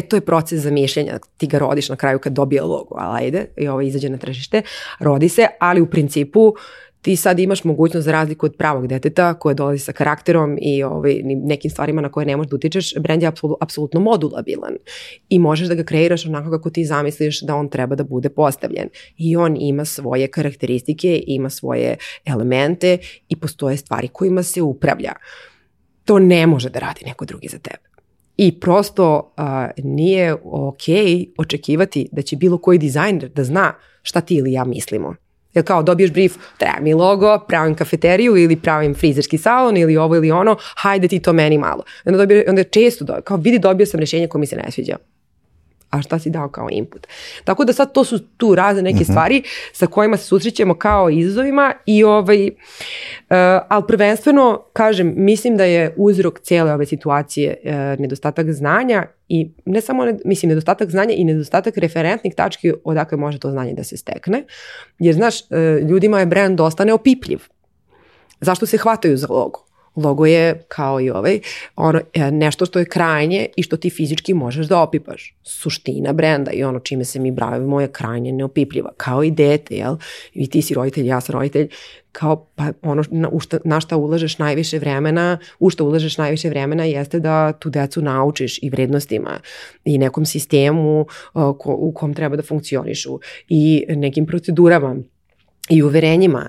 to je proces zamišljanja, ti ga rodiš na kraju kad dobije logo, ali ajde, i izađe na tržište, rodi se, ali u principu ti sad imaš mogućnost za razliku od pravog deteta koje dolazi sa karakterom i nekim stvarima na koje ne možeš da utičeš, brend je apsolutno modulabilan i možeš da ga kreiraš onako kako ti zamisliš da on treba da bude postavljen i on ima svoje karakteristike, ima svoje elemente i postoje stvari kojima se upravlja. To ne može da radi neko drugi za tebe. I prosto nije okej očekivati da će bilo koji dizajner da zna šta ti ili ja mislimo. Jer kao dobiješ brief, treba mi logo, pravim kafeteriju ili pravim frizerski salon ili ovo ili ono, hajde ti to meni malo. Onda često kao vidi dobio sam rješenje koje mi se ne sviđa. A šta si dao kao input? Tako da sad to su tu razne neke stvari sa kojima se susrećemo kao izazovima i ali prvenstveno, kažem, mislim da je uzrok cijele ove situacije nedostatak znanja i ne samo, nedostatak znanja i nedostatak referentnih tački odakle može to znanje da se stekne. Jer, znaš, ljudima je brand dosta neopipljiv. Zašto se hvataju za logo? Logo je, kao i nešto što je krajnje i što ti fizički možeš da opipaš. Suština brenda i čime se mi bavimo je krajnje neopipljiva. Kao i dete, jel? I ti si roditelj, ja sam roditelj. Kao, pa na šta ulažeš najviše vremena, jeste da tu decu naučiš i vrednostima i nekom sistemu u kom treba da funkcionišu i nekim procedurama i uverenjima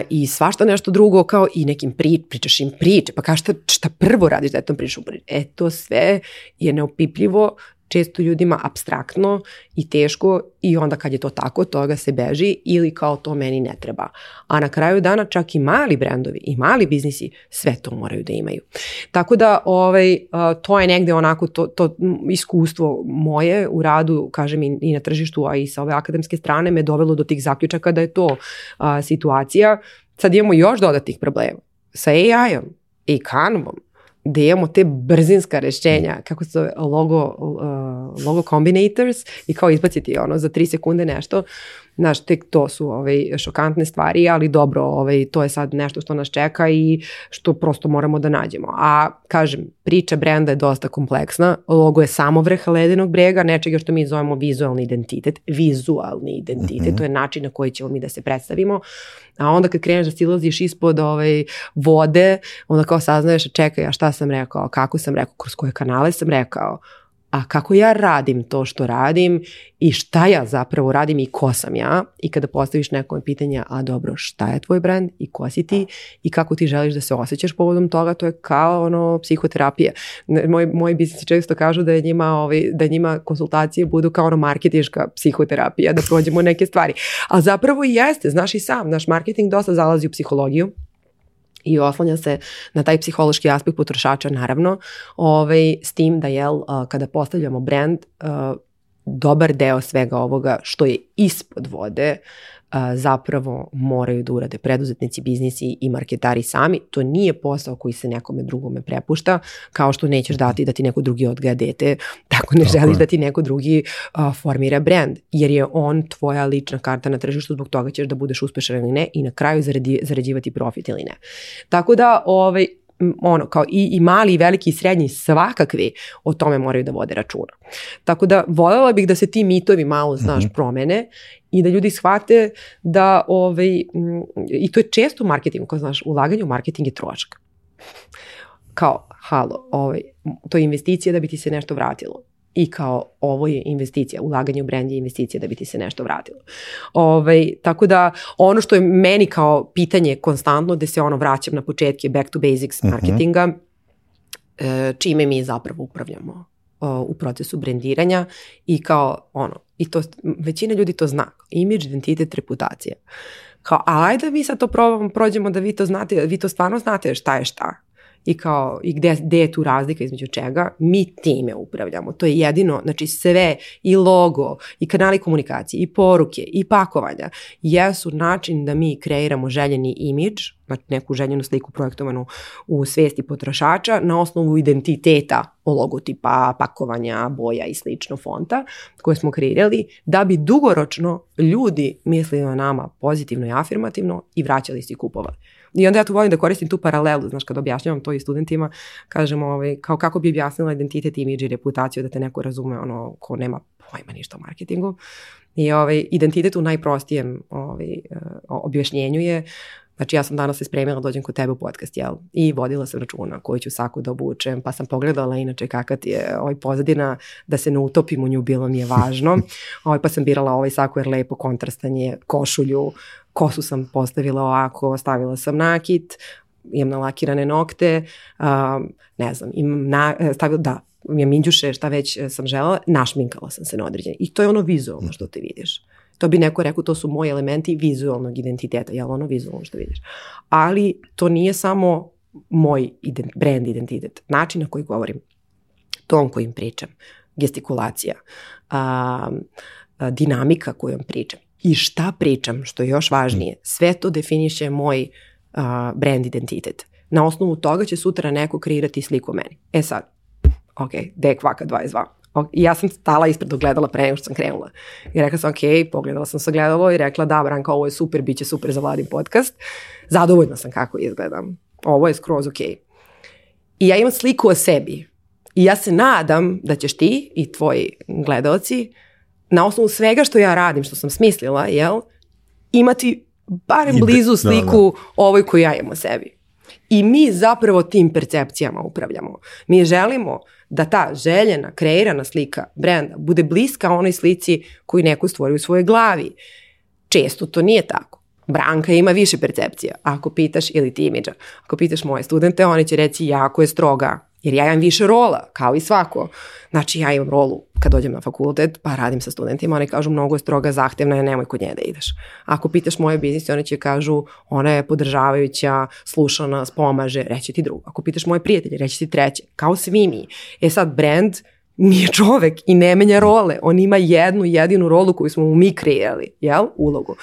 i svašta nešto drugo, kao i nekim pričaš im priče, pa kao šta prvo radiš da je tom priču? To sve je neopipljivo, često ljudima apstraktno i teško i onda kad je to tako, toga se beži ili kao to meni ne treba. A na kraju dana čak i mali brendovi i mali biznisi sve to moraju da imaju. Tako da to je negde onako to iskustvo moje u radu, kažem i na tržištu, a i sa ove akademske strane me dovelo do tih zaključaka da je to situacija. Sad imamo još dodatnih problema sa AI-om i Canvom, gde imamo te brzinska rešenja, kako se zove, logo combinators i kao izbaciti za 3 sekunde nešto. Znaš, tek to su šokantne stvari, ali dobro, to je sad nešto što nas čeka i što prosto moramo da nađemo. A kažem, priča brenda je dosta kompleksna, logo je samo vrh ledenog brega, nečega što mi zovemo vizualni identitet. Vizualni identitet, to je način na koji ćemo mi da se predstavimo. A onda kad kreneš da silaziš ispod vode, onda kao saznaješ, čekaj, a šta sam rekao, kako sam rekao, kroz koje kanale sam rekao, a kako ja radim to što radim i šta ja zapravo radim i ko sam ja. I kada postaviš nekom pitanje, a dobro, šta je tvoj brand i ko si ti i kako ti želiš da se osjećaš povodom toga, to je kao psihoterapija. Moji biznisi često kažu da je njima konsultacije budu kao marketinška psihoterapija, da prođemo neke stvari. A zapravo i jeste, znaš i sam, naš marketing dosta zalazi u psihologiju i oslanja se na taj psihološki aspekt potrošača, naravno, s tim da kada postavljamo brand, dobar deo svega ovoga što je ispod vode zapravo moraju da urade preduzetnici, biznisi i marketari sami. To nije posao koji se nekome drugome prepušta, kao što nećeš dati da ti neko drugi odgaja dete, tako ne želiš da ti neko drugi formira brand, jer je on tvoja lična karta na tržištu, zbog toga ćeš da budeš uspešan ili ne i na kraju zarađivati profit ili ne. Tako da kao i mali i veliki i srednji svakakvi o tome moraju da vode računa. Tako da voljela bih da se ti mitovi malo, promene i da ljudi shvate da i to je često u marketingu, kao znaš, ulaganje u marketing je trošak. Kao, to je investicija da bi ti se nešto vratilo. I kao, ovo je investicija, ulaganje u brand je investicija da bi ti se nešto vratilo. Tako da, ono što je meni kao pitanje konstantno, da se vraćam na početke, back to basics marketinga, čime mi zapravo upravljamo u procesu brendiranja i kao i to, većina ljudi to zna, imidž, identitet, reputacija. Kao, ajde da mi sad to prođemo da vi to znate, vi to stvarno znate šta je šta. I gde je tu razlika između čega, mi time upravljamo. To je jedino, znači sve i logo, i kanali komunikacije, i poruke, i pakovanja jesu način da mi kreiramo željeni imidž, znači neku željenu sliku projektovanu u svesti potrošača na osnovu identiteta logotipa, pakovanja, boja i slično fonta koje smo kreirali, da bi dugoročno ljudi mislili o nama pozitivno i afirmativno i vraćali se i kupovali. I onda ja tu volim da koristim tu paralelu, znaš, kad objašnjavam to i studentima, kažem kao kako bi objasnila identitet, imidž i reputaciju da te neko razume, ko nema pojma ništa o marketingu. I identitet u najprostijem objašnjenju je, znači ja sam danas se spremila, dođem kod tebe u podcast, i vodila sam računa koju ću saku da obučem, pa sam pogledala inače kakva ti je pozadina, da se ne utopim u nju, bilo mi je važno, pa sam birala saku jer lepo kontrastanje, košulju, kosu sam postavila ovako, stavila sam nakit, imam nalakirane nokte, ne znam, imam minđuše, šta već sam želela, našminkala sam se na određenje. I to je vizualno što ti vidiš. To bi neko rekao, to su moji elementi vizualnog identiteta, vizualno što vidiš. Ali to nije samo moj brand identitet, način na koji govorim, ton kojim pričam, gestikulacija, dinamika kojom pričam i šta pričam, što je još važnije, sve to definiše moj brand identitet. Na osnovu toga će sutra neko kreirati sliku o meni. Sad, gde je kvaka 22? I ja sam stala ispred ogledala pre nego što sam krenula. I rekla sam, pogledala sam se ogledalo i rekla, da, Branka, ovo je super, bit će super za Vladin podcast. Zadovoljna sam kako izgledam. Ovo je skroz ok. I ja imam sliku o sebi. I ja se nadam da ćeš ti i tvoji gledaoci na osnovu svega što ja radim, što sam smislila, imati barem blizu sliku ovoj koju ja imam o sebi. I mi zapravo tim percepcijama upravljamo. Mi želimo da ta željena, kreirana slika brenda bude bliska onoj slici koju neko stvori u svojoj glavi. Često to nije tako. Branka ima više percepcija. Ako pitaš, ili ti imidža, ako pitaš moje studente, oni će reći jako je stroga. Jer ja imam više rola, kao i svako. Znači ja imam rolu kad dođem na fakultet, pa radim sa studentima, oni kažu mnogo je stroga, zahtevna je, nemoj kod nje da ideš. Ako pitaš moje biznise, oni će kažu ona je podržavajuća, sluša nas, pomaže, reći ti drugo. Ako pitaš moje prijatelje, reći ti treće. Kao svi mi. Sad brand nije čovek i ne menja role. On ima jednu jedinu rolu koju smo mu mi kreirali, ulogu.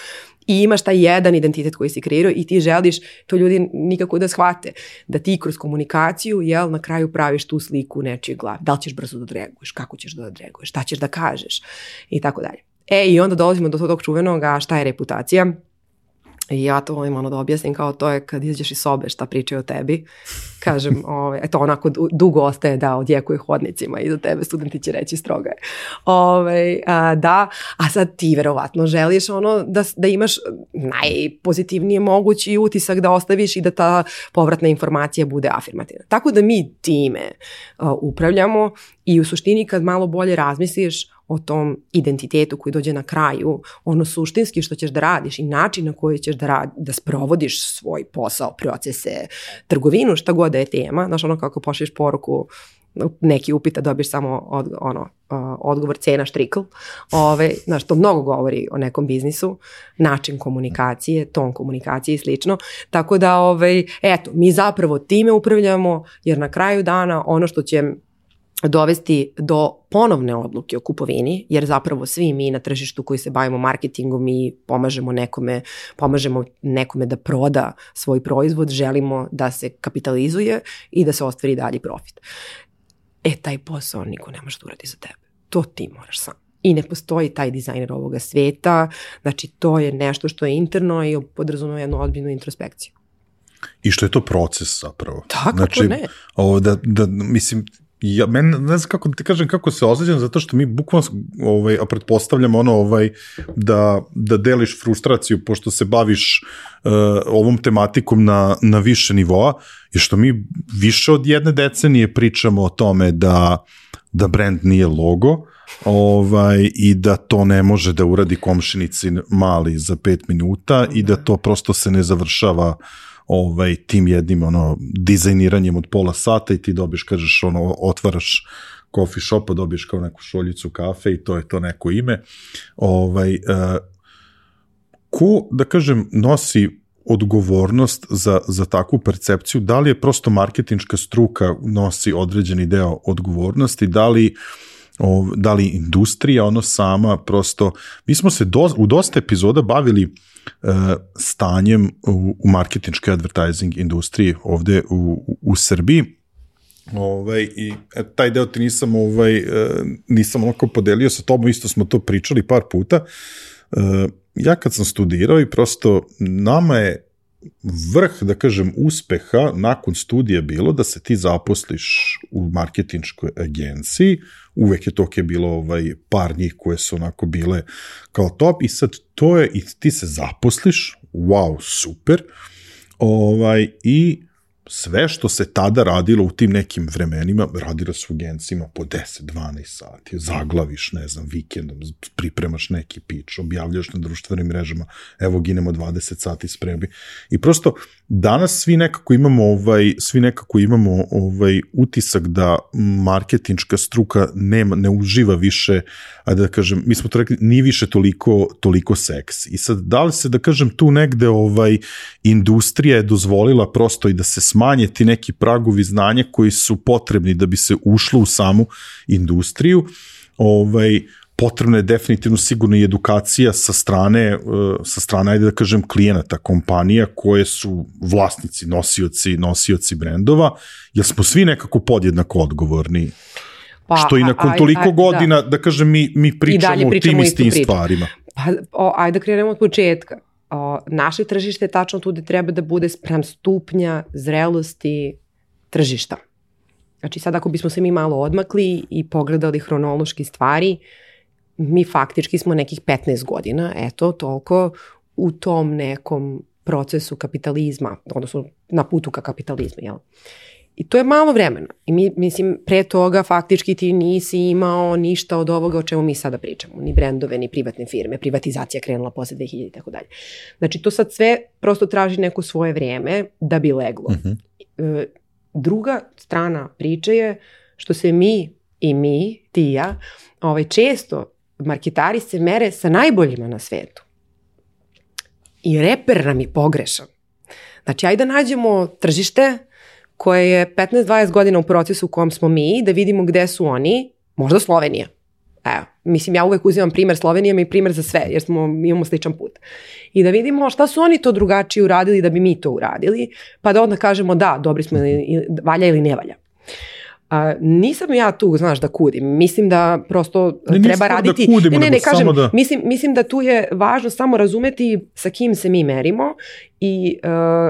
I imaš taj jedan identitet koji si kreirao i ti želiš to ljudi nikako da shvate. Da ti kroz komunikaciju, na kraju praviš tu sliku u nečijoj glavi. Da li ćeš brzo da odreaguješ, kako ćeš da odreaguješ, šta ćeš da kažeš i tako dalje. I onda dolazimo do tog čuvenog, a šta je reputacija? I ja to volim da objasnim kao to je kad izađeš iz sobe šta pričaju o tebi. Kažem, eto onako dugo ostaje da odjekuje hodnicima i za tebe studenti će reći stroga je. Da, a sad ti verovatno želiš da imaš najpozitivnije mogući utisak da ostaviš i da ta povratna informacija bude afirmativna. Tako da mi time upravljamo i u suštini kad malo bolje razmisliš o tom identitetu koji dođe na kraju, ono suštinski što ćeš da radiš i način na koji ćeš da sprovodiš svoj posao, procese, trgovinu, šta god da je tema. Znaš, ono kako pošliš poruku, neki upita, dobiješ samo odgovor cena štrikl. Znaš, to mnogo govori o nekom biznisu, način komunikacije, ton komunikacije i slično. Tako da, eto, mi zapravo time upravljamo, jer na kraju dana ono što će dovesti do ponovne odluke o kupovini, jer zapravo svi mi na tržištu koji se bavimo marketingom, mi pomažemo nekome da proda svoj proizvod, želimo da se kapitalizuje i da se ostvari dalji profit. Taj posao niko ne može da uradi za tebe. To ti moraš sam. I ne postoji taj dizajner ovoga sveta, znači to je nešto što je interno i podrazumeva jednu ozbiljnu introspekciju. I što je to proces zapravo. Tako, znači, ne. Mislim, ja ne znam kako ti kažem kako se osjećam, zato što mi bukvalno pretpostavljamo da deliš frustraciju pošto se baviš ovom tematikom na više nivoa, i što mi više od 1 decenije pričamo o tome da brand nije logo, i da to ne može da uradi komšinici mali za 5 minuta i da to prosto se ne završava tim jednim dizajniranjem od pola sata i ti dobiješ, kažeš, otvaraš coffee shop, dobiješ kao neku šoljicu kafe i to je to neko ime. Ko, da kažem, nosi odgovornost za takvu percepciju? Da li je prosto marketinška struka nosi određeni deo odgovornosti, da li industrija sama prosto, mi smo se u dosta epizoda bavili stanjem u marketinškoj advertising industriji ovde u Srbiji, i taj deo ti nisam onako podelio sa tobom, isto smo to pričali par puta. Ja kad sam studirao i prosto nama je vrh, da kažem, uspeha nakon studija bilo da se ti zaposliš u marketinškoj agenciji, uvek je to bilo par njih koje su onako bile kao top i sad to je, i ti se zaposliš, wow, super, i sve što se tada radilo u tim nekim vremenima, radilo su u agencijama po 10-12 sati, zaglaviš, ne znam, vikendom, pripremaš neki pitch, objavljaš na društvenim mrežama, evo ginemo 20 sati spremi. I prosto danas svi nekako imamo utisak da marketinška struka ne uživa više, a da kažem, mi smo to rekli, nije više toliko seks. I sad, da li se, da kažem, tu negde industrija je dozvolila prosto i da se smanje ti neki pragovi znanja koji su potrebni da bi se ušlo u samu industriju. Potrebna je definitivno sigurno i edukacija sa strane, ajde da kažem, klijenata, kompanija koje su vlasnici, nosioci brendova, jer smo svi nekako podjednako odgovorni. Što i nakon toliko godina, da kažem, mi pričamo o tim istim stvarima. Ajde da krenemo od početka. Naše tržište je tačno tu gde treba da bude sprem stupnja zrelosti tržišta. Znači sad ako bismo se mi malo odmakli i pogledali hronološki stvari, mi faktički smo nekih 15 godina, eto, toliko u tom nekom procesu kapitalizma, odnosno na putu ka kapitalizmu, jel? I to je malo vremena. I mislim, pre toga faktički ti nisi imao ništa od ovoga o čemu mi sada pričamo. Ni brendove, ni privatne firme. Privatizacija krenula posle 2000 i tako dalje. Znači, to sad sve prosto traži neko svoje vrijeme da bi leglo. Druga strana priče je što se mi, ti i ja, često marketari se mere sa najboljima na svetu. I reper nam je pogrešan. Znači, ajde da nađemo tržište koje je 15-20 godina u procesu u kojem smo mi, da vidimo gde su oni, možda Slovenija. Evo, mislim, ja uvek uzimam primer Slovenije, mi primer za sve, jer imamo sličan put. I da vidimo šta su oni to drugačije uradili da bi mi to uradili, pa da onda kažemo da, dobri smo, valja ili ne valja. Nisam ja tu, znaš, da kudim. Mislim da prosto treba raditi... Da kudimo, kažem, da... Mislim da tu je važno samo razumeti sa kim se mi merimo i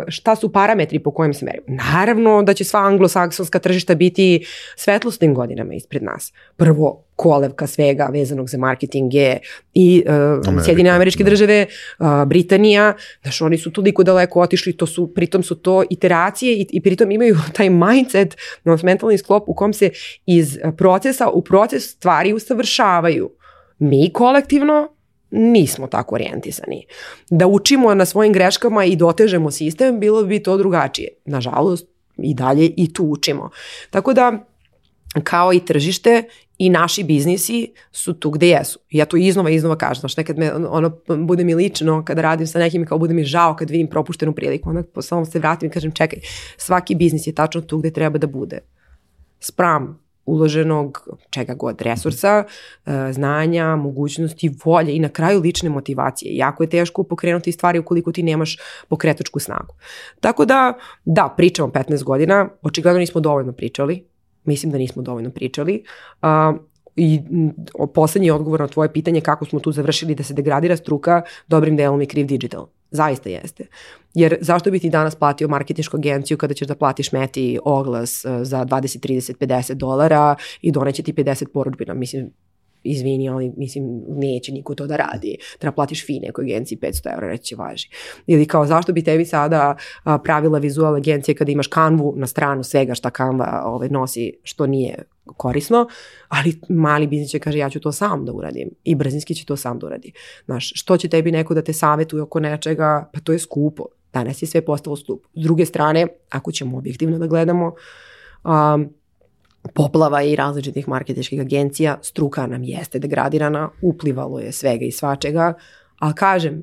šta su parametri po kojim se merimo. Naravno da će sva anglosaksonska tržišta biti svetlosnim godinama ispred nas. Prvo, kolevka svega vezanog za marketing je i Sjedinjene Američke Države, Britanija, znaš, oni su toliko daleko otišli, pritom su to iteracije i pritom imaju taj mindset, mentalni sklop u kom se iz procesa u proces stvari usavršavaju. Mi kolektivno nismo tako orijentisani. Da učimo na svojim greškama i dotežemo sistem, bilo bi to drugačije. Nažalost, i dalje i tu učimo. Tako da, kao i tržište, i naši biznisi su tu gde jesu. Ja to iznova kažem. Znaš, nekad bude mi lično kada radim sa nekim i kao bude mi žao kad vidim propuštenu priliku. Onda samo se vratim i kažem čekaj, svaki biznis je tačno tu gde treba da bude. Spram uloženog čega god, resursa, znanja, mogućnosti, volje i na kraju lične motivacije. Jako je teško pokrenuti stvari ukoliko ti nemaš pokretačku snagu. Tako da, pričamo 15 godina, očigledno nismo dovoljno pričali. Mislim da nismo dovoljno pričali. I poslednji odgovor na tvoje pitanje kako smo tu završili da se degradira struka, dobrim delom je kriv digital. Zaista jeste. Jer zašto bi ti danas platio marketinšku agenciju kada ćeš da platiš Meti oglas za 20, 30, 50 dolara i doneće ti 50 porudbina? Mislim, izvini, ali mislim, neće niko to da radi. Treba platiš fine nekoj agenciji 500 €, reći važi. Ili kao, zašto bi tebi sada pravila vizual agencije kada imaš Canvu na stranu svega šta Canva nosi, što nije korisno, ali mali biznis će kaže ja ću to sam da uradim i brzinski će to sam da uradi. Znaš, što će tebi neko da te savjetuje oko nečega, pa to je skupo. Danas je sve postalo skupo. S druge strane, ako ćemo objektivno da gledamo, poplava i različitih marketinških agencija, struka nam jeste degradirana, uplivalo je svega i svačega, ali kažem,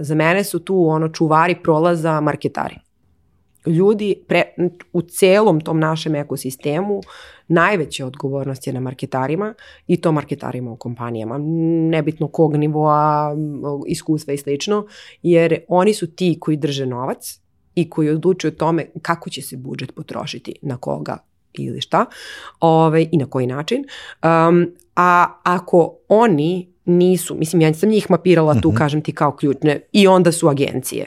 za mene su tu čuvari prolaza marketari. Ljudi u celom tom našem ekosistemu najveća odgovornost je na marketarima i to marketarima u kompanijama. Nebitno kog nivoa, iskustva i slično, jer oni su ti koji drže novac i koji odlučuju o tome kako će se budžet potrošiti, na koga ili šta i na koji način. A ako oni nisu, mislim ja sam njih mapirala tu, kažem ti kao ključne, i onda su agencije,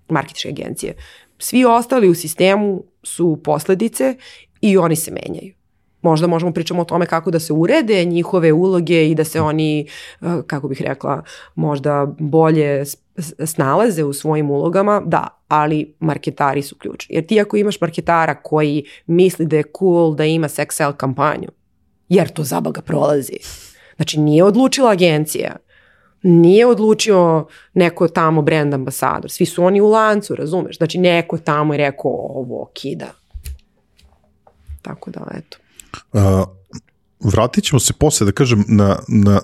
marketinške agencije. Svi ostali u sistemu su posledice i oni se menjaju. Možda možemo pričamo o tome kako da se urede njihove uloge i da se oni, kako bih rekla, možda bolje snalaze u svojim ulogama, da, ali marketari su ključni. Jer ti ako imaš marketara koji misli da je cool da ima sex sell kampanju, jer to zabaga prolazi. Znači nije odlučila agencija, nije odlučio neko tamo brand ambasador, svi su oni u lancu, razumeš? Znači neko tamo je rekao ovo kida. Tako da, eto. Vratit ćemo se posle, da kažem,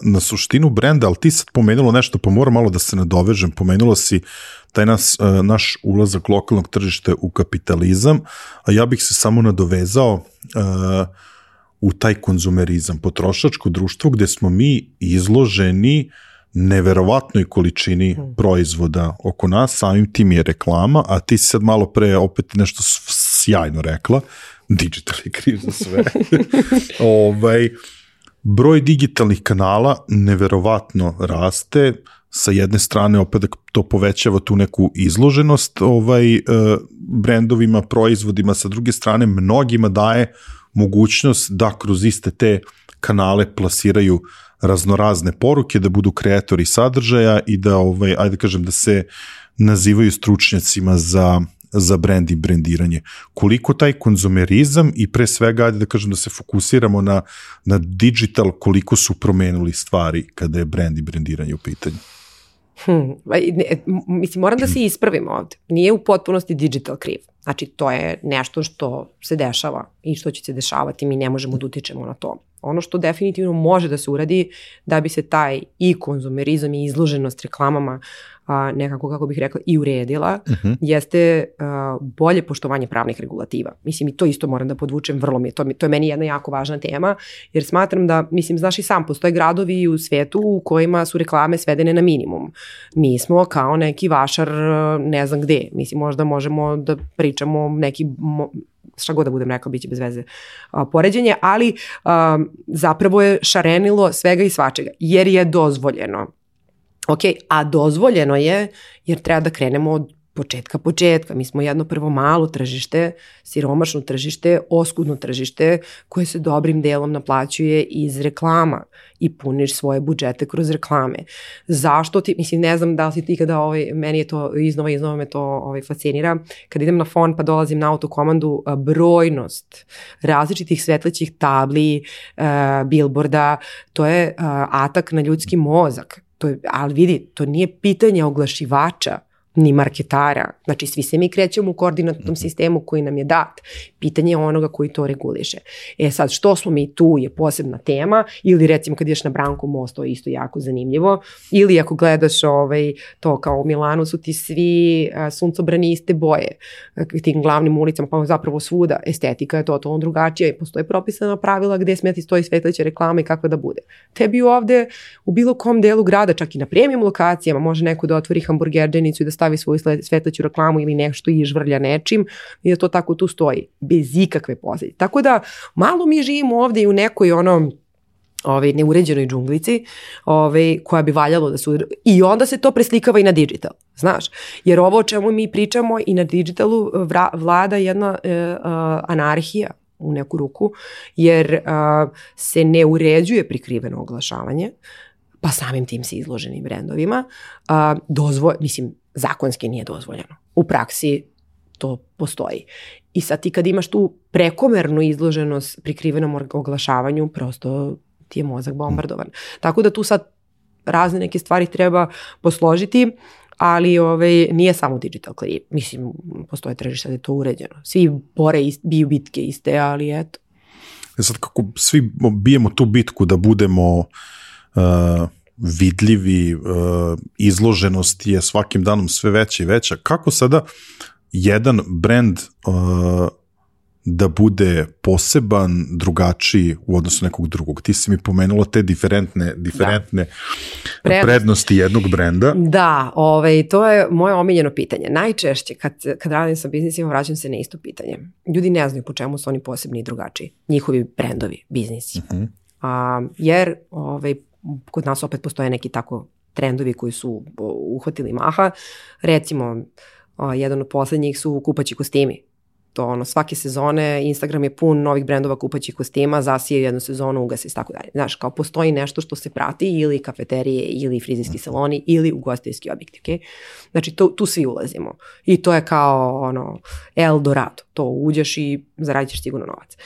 na suštinu brenda, ali ti sad pomenula nešto, pa moram malo da se nadovežem. Pomenula si taj naš ulazak lokalnog tržišta u kapitalizam, a ja bih se samo nadovezao u taj konzumerizam, potrošačko društvo gde smo mi izloženi neverovatnoj količini proizvoda oko nas, samim tim je reklama, a ti si sad malo pre opet nešto sjajno rekla, digital je kriv za sve. Broj digitalnih kanala neverovatno raste, sa jedne strane opet to povećava tu neku izloženost brendovima, proizvodima, sa druge strane mnogima daje mogućnost da kroz iste te kanale plasiraju raznorazne poruke, da budu kreatori sadržaja i da, ajde kažem, da se nazivaju stručnjacima za brand i brendiranje. Koliko taj konzumerizam i pre svega, ajde da kažem, da se fokusiramo na digital, koliko su promenili stvari kada je brand i brendiranje u pitanju? Mislim, moram da se ispravim ovde. Nije u potpunosti digital kriv. Znači, to je nešto što se dešava i što će se dešavati, mi ne možemo da utičemo na to. Ono što definitivno može da se uradi da bi se taj i konzumerizam i izloženost reklamama nekako, kako bih rekla, i uredila, jeste bolje poštovanje pravnih regulativa. Mislim, i to isto moram da podvučem, to je meni jedna jako važna tema, jer smatram da, mislim, znaš i sam, postoje gradovi u svetu u kojima su reklame svedene na minimum. Mi smo kao neki vašar, ne znam gde, mislim, možda možemo da pričamo neki šta god da budem rekao, bit će bez veze poređenje, ali zapravo je šarenilo svega i svačega, jer je dozvoljeno. Ok, a dozvoljeno je jer treba da krenemo od početka. Mi smo jedno prvo malo tržište, siromašno tržište, oskudno tržište koje se dobrim delom naplaćuje iz reklama i puniš svoje budžete kroz reklame. Zašto ti, mislim, ne znam da li si ti kada, meni je to iznova me to fascinira, kad idem na fon pa dolazim na autokomandu, brojnost različitih svetlećih tabli, billboarda, to je atak na ljudski mozak. Ali vidi, to nije pitanje oglašivača ni marketara. Znači, svi se mi krećemo u koordinatnom sistemu koji nam je dat. Pitanje je onoga koji to reguliše. Sad, što smo mi tu je posebna tema, ili recimo kad ideš na Branko most, to je isto jako zanimljivo, ili ako gledaš to kao u Milanu su ti svi suncobrani iste boje, tim glavnim ulicama, pa zapravo svuda estetika je totalno drugačija i postoje propisana pravila gde sme ti stoji svetleća reklama i kakva da bude. Tebi ovde u bilo kom delu grada, čak i na premium lokacijama, može neko da otvori hamburgerđenicu i da stavi svoju svetleću reklamu ili nešto i žvrlja nečim i da to tako tu stoji, bez ikakve posljedice. Tako da malo mi živimo ovde i u nekoj neuređenoj džunglici koja bi valjalo da su... I onda se to preslikava i na digital, znaš. Jer ovo o čemu mi pričamo i na digitalu vlada jedna anarhija u neku ruku, jer se ne uređuje prikriveno oglašavanje, pa samim tim se izloženim brendovima. Zakonski nije dozvoljeno. U praksi to postoji. I sad ti kad imaš tu prekomernu izloženost prikrivenom oglašavanju, prosto ti je mozak bombardovan. Tako da tu sad razne neke stvari treba posložiti, ali nije samo digital kriv. Mislim, postoje tržište da je to uređeno. Svi biju bitke iste, ali eto. Sad kako svi bijemo tu bitku da budemo vidljivi, izloženost je svakim danom sve veća i veća. Kako sada jedan brand da bude poseban, drugačiji u odnosu nekog drugog? Ti si mi pomenula te diferentne prednosti jednog brenda. Da, to je moje omiljeno pitanje. Najčešće kad radim sa biznisima vraćam se na isto pitanje. Ljudi ne znaju po čemu su oni posebni i drugačiji. Njihovi brendovi, biznisi. Jer kod nas opet postoje neki tako trendovi koji su uhvatili maha. Recimo, jedan od poslednjih su kupaći kostimi. To svake sezone Instagram je pun novih brendova kupaćih kostima, zasije jednu sezonu, ugasi i tako dalje. Znaš, kao postoji nešto što se prati ili kafeterije ili frizerski saloni ili ugostiteljski objekti, okay? Znači tu svi ulazimo i to je kao Eldorado, to uđeš i zaradit ćeš sigurno novac.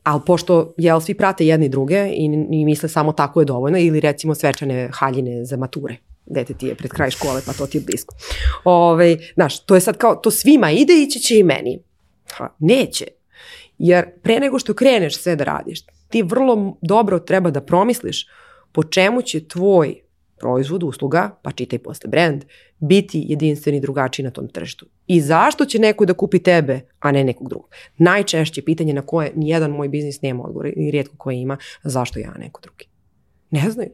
Ali pošto svi prate jedni druge i misle samo tako je dovoljno, ili recimo svečane haljine za mature, dete ti je pred kraj škole pa to ti je blisko. Znaš, to je sad kao, to svima ide, ići će i meni. Neće. Jer pre nego što kreneš sve da radiš, ti vrlo dobro treba da promisliš po čemu će tvoj proizvod, usluga, pa čitaj posle brand, biti jedinstveni drugačiji na tom tržištu. I zašto će neko da kupi tebe, a ne nekog drugog? Najčešće pitanje na koje nijedan moj biznis nema odgovor i rijetko koje ima, zašto ja, a neko drugi? Ne znaju.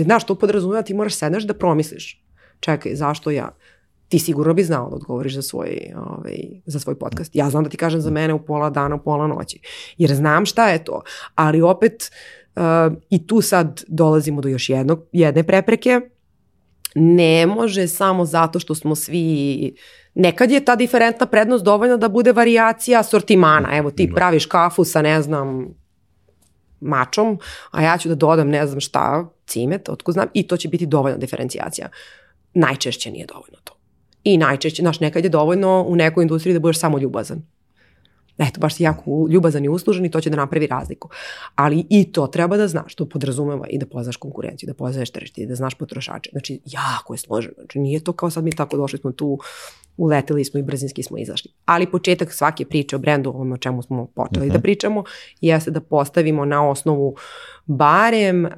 Znaš, to podrazumijeva, ti moraš sedneš da promisliš. Čekaj, zašto ja? Ti sigurno bi znao da odgovoriš za svoj podcast. Ja znam da ti kažem za mene u pola dana, u pola noći. Jer znam šta je to. Ali opet i tu sad dolazimo do još jedne prepreke. Ne može samo zato što smo svi... Nekad je ta diferentna prednost dovoljna da bude varijacija asortimana. Evo ti praviš kafu sa ne znam mačom, a ja ću da dodam ne znam šta, cimet, otko znam, i to će biti dovoljna diferencijacija. Najčešće nije dovoljno to. I najčešće, nekad je dovoljno u nekoj industriji da budeš samo ljubazan. Eto, baš si jako ljubazan i uslužen i to će da napravi razliku. Ali i to treba da znaš, to podrazumeva i da poznaš konkurenciju, da poznaješ tržište, da znaš potrošače. Znači, jako je složeno. Znači, nije to kao sad mi tako došli smo tu, uleteli smo i brzinski smo izašli. Ali početak svake priče o brendu, o čemu smo počeli da pričamo, jeste da postavimo na osnovu barem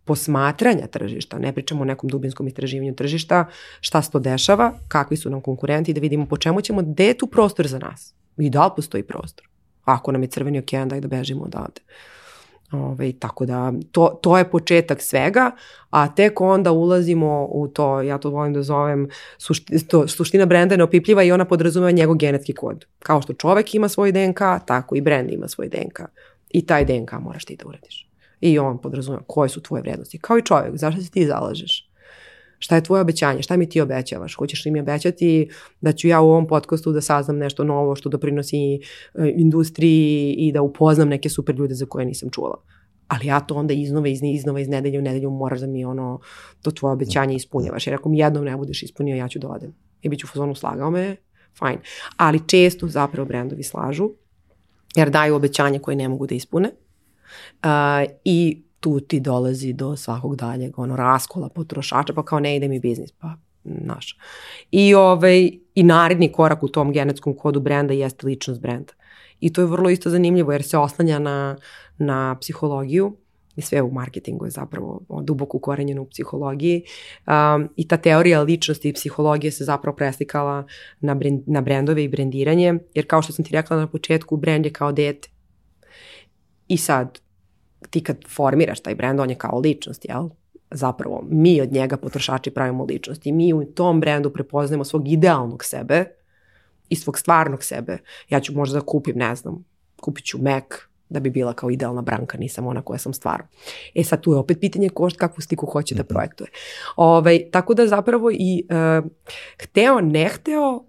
posmatranja tržišta, ne pričamo o nekom dubinskom istraživanju tržišta, šta se to dešava, kakvi su nam konkurenti, da vidimo po čemu ćemo, gde je tu prostor za nas i da li postoji prostor. Ako nam je crveni okean, daj da bežimo odavde. Tako da to je početak svega, a tek onda ulazimo u to, ja to volim da zovem, suština brenda je neopipljiva i ona podrazumeva njegov genetski kod. Kao što čovek ima svoj DNK, tako i brend ima svoj DNK. I taj DNK moraš ti da uradiš. I on podrazumeva koje su tvoje vrednosti. Kao i čovjek, zašto se ti zalažeš? Šta je tvoje obećanje? Šta mi ti obećavaš? Hoćeš li mi obećati da ću ja u ovom podcastu da saznam nešto novo što doprinosi industriji i da upoznam neke super ljude za koje nisam čula? Ali ja to onda iznova iz nedelje u nedelju moraš da mi to tvoje obećanje ispunjavaš. Jer ako mi jednom ne budeš ispunio, ja ću da odem. I bit ću u fazonu slagao me, fajn. Ali često zapravo brendovi slažu jer daju obećanje koje ne mogu da ispune. I tu ti dolazi do svakog daljeg raskola potrošača, pa kao ne ide mi biznis, pa naš. I naredni korak u tom genetskom kodu brenda jeste ličnost brenda. I to je vrlo isto zanimljivo jer se oslanja na psihologiju i sve u marketingu je zapravo duboko ukorenjeno u psihologiji. I ta teorija ličnosti i psihologije se zapravo preslikala na brendove i brendiranje, jer kao što sam ti rekla na početku, brend je kao dete. I sad, ti kad formiraš taj brend, on je kao ličnost, jel? Zapravo, mi od njega potrošači pravimo ličnost i mi u tom brendu prepoznajemo svog idealnog sebe i svog stvarnog sebe. Ja ću možda da kupim, ne znam, kupit ću Mac da bi bila kao idealna Branka, nisam ona koja sam stvarno. Sad tu je opet pitanje kakvu sliku hoće da projektuje. Tako da zapravo i hteo, ne hteo,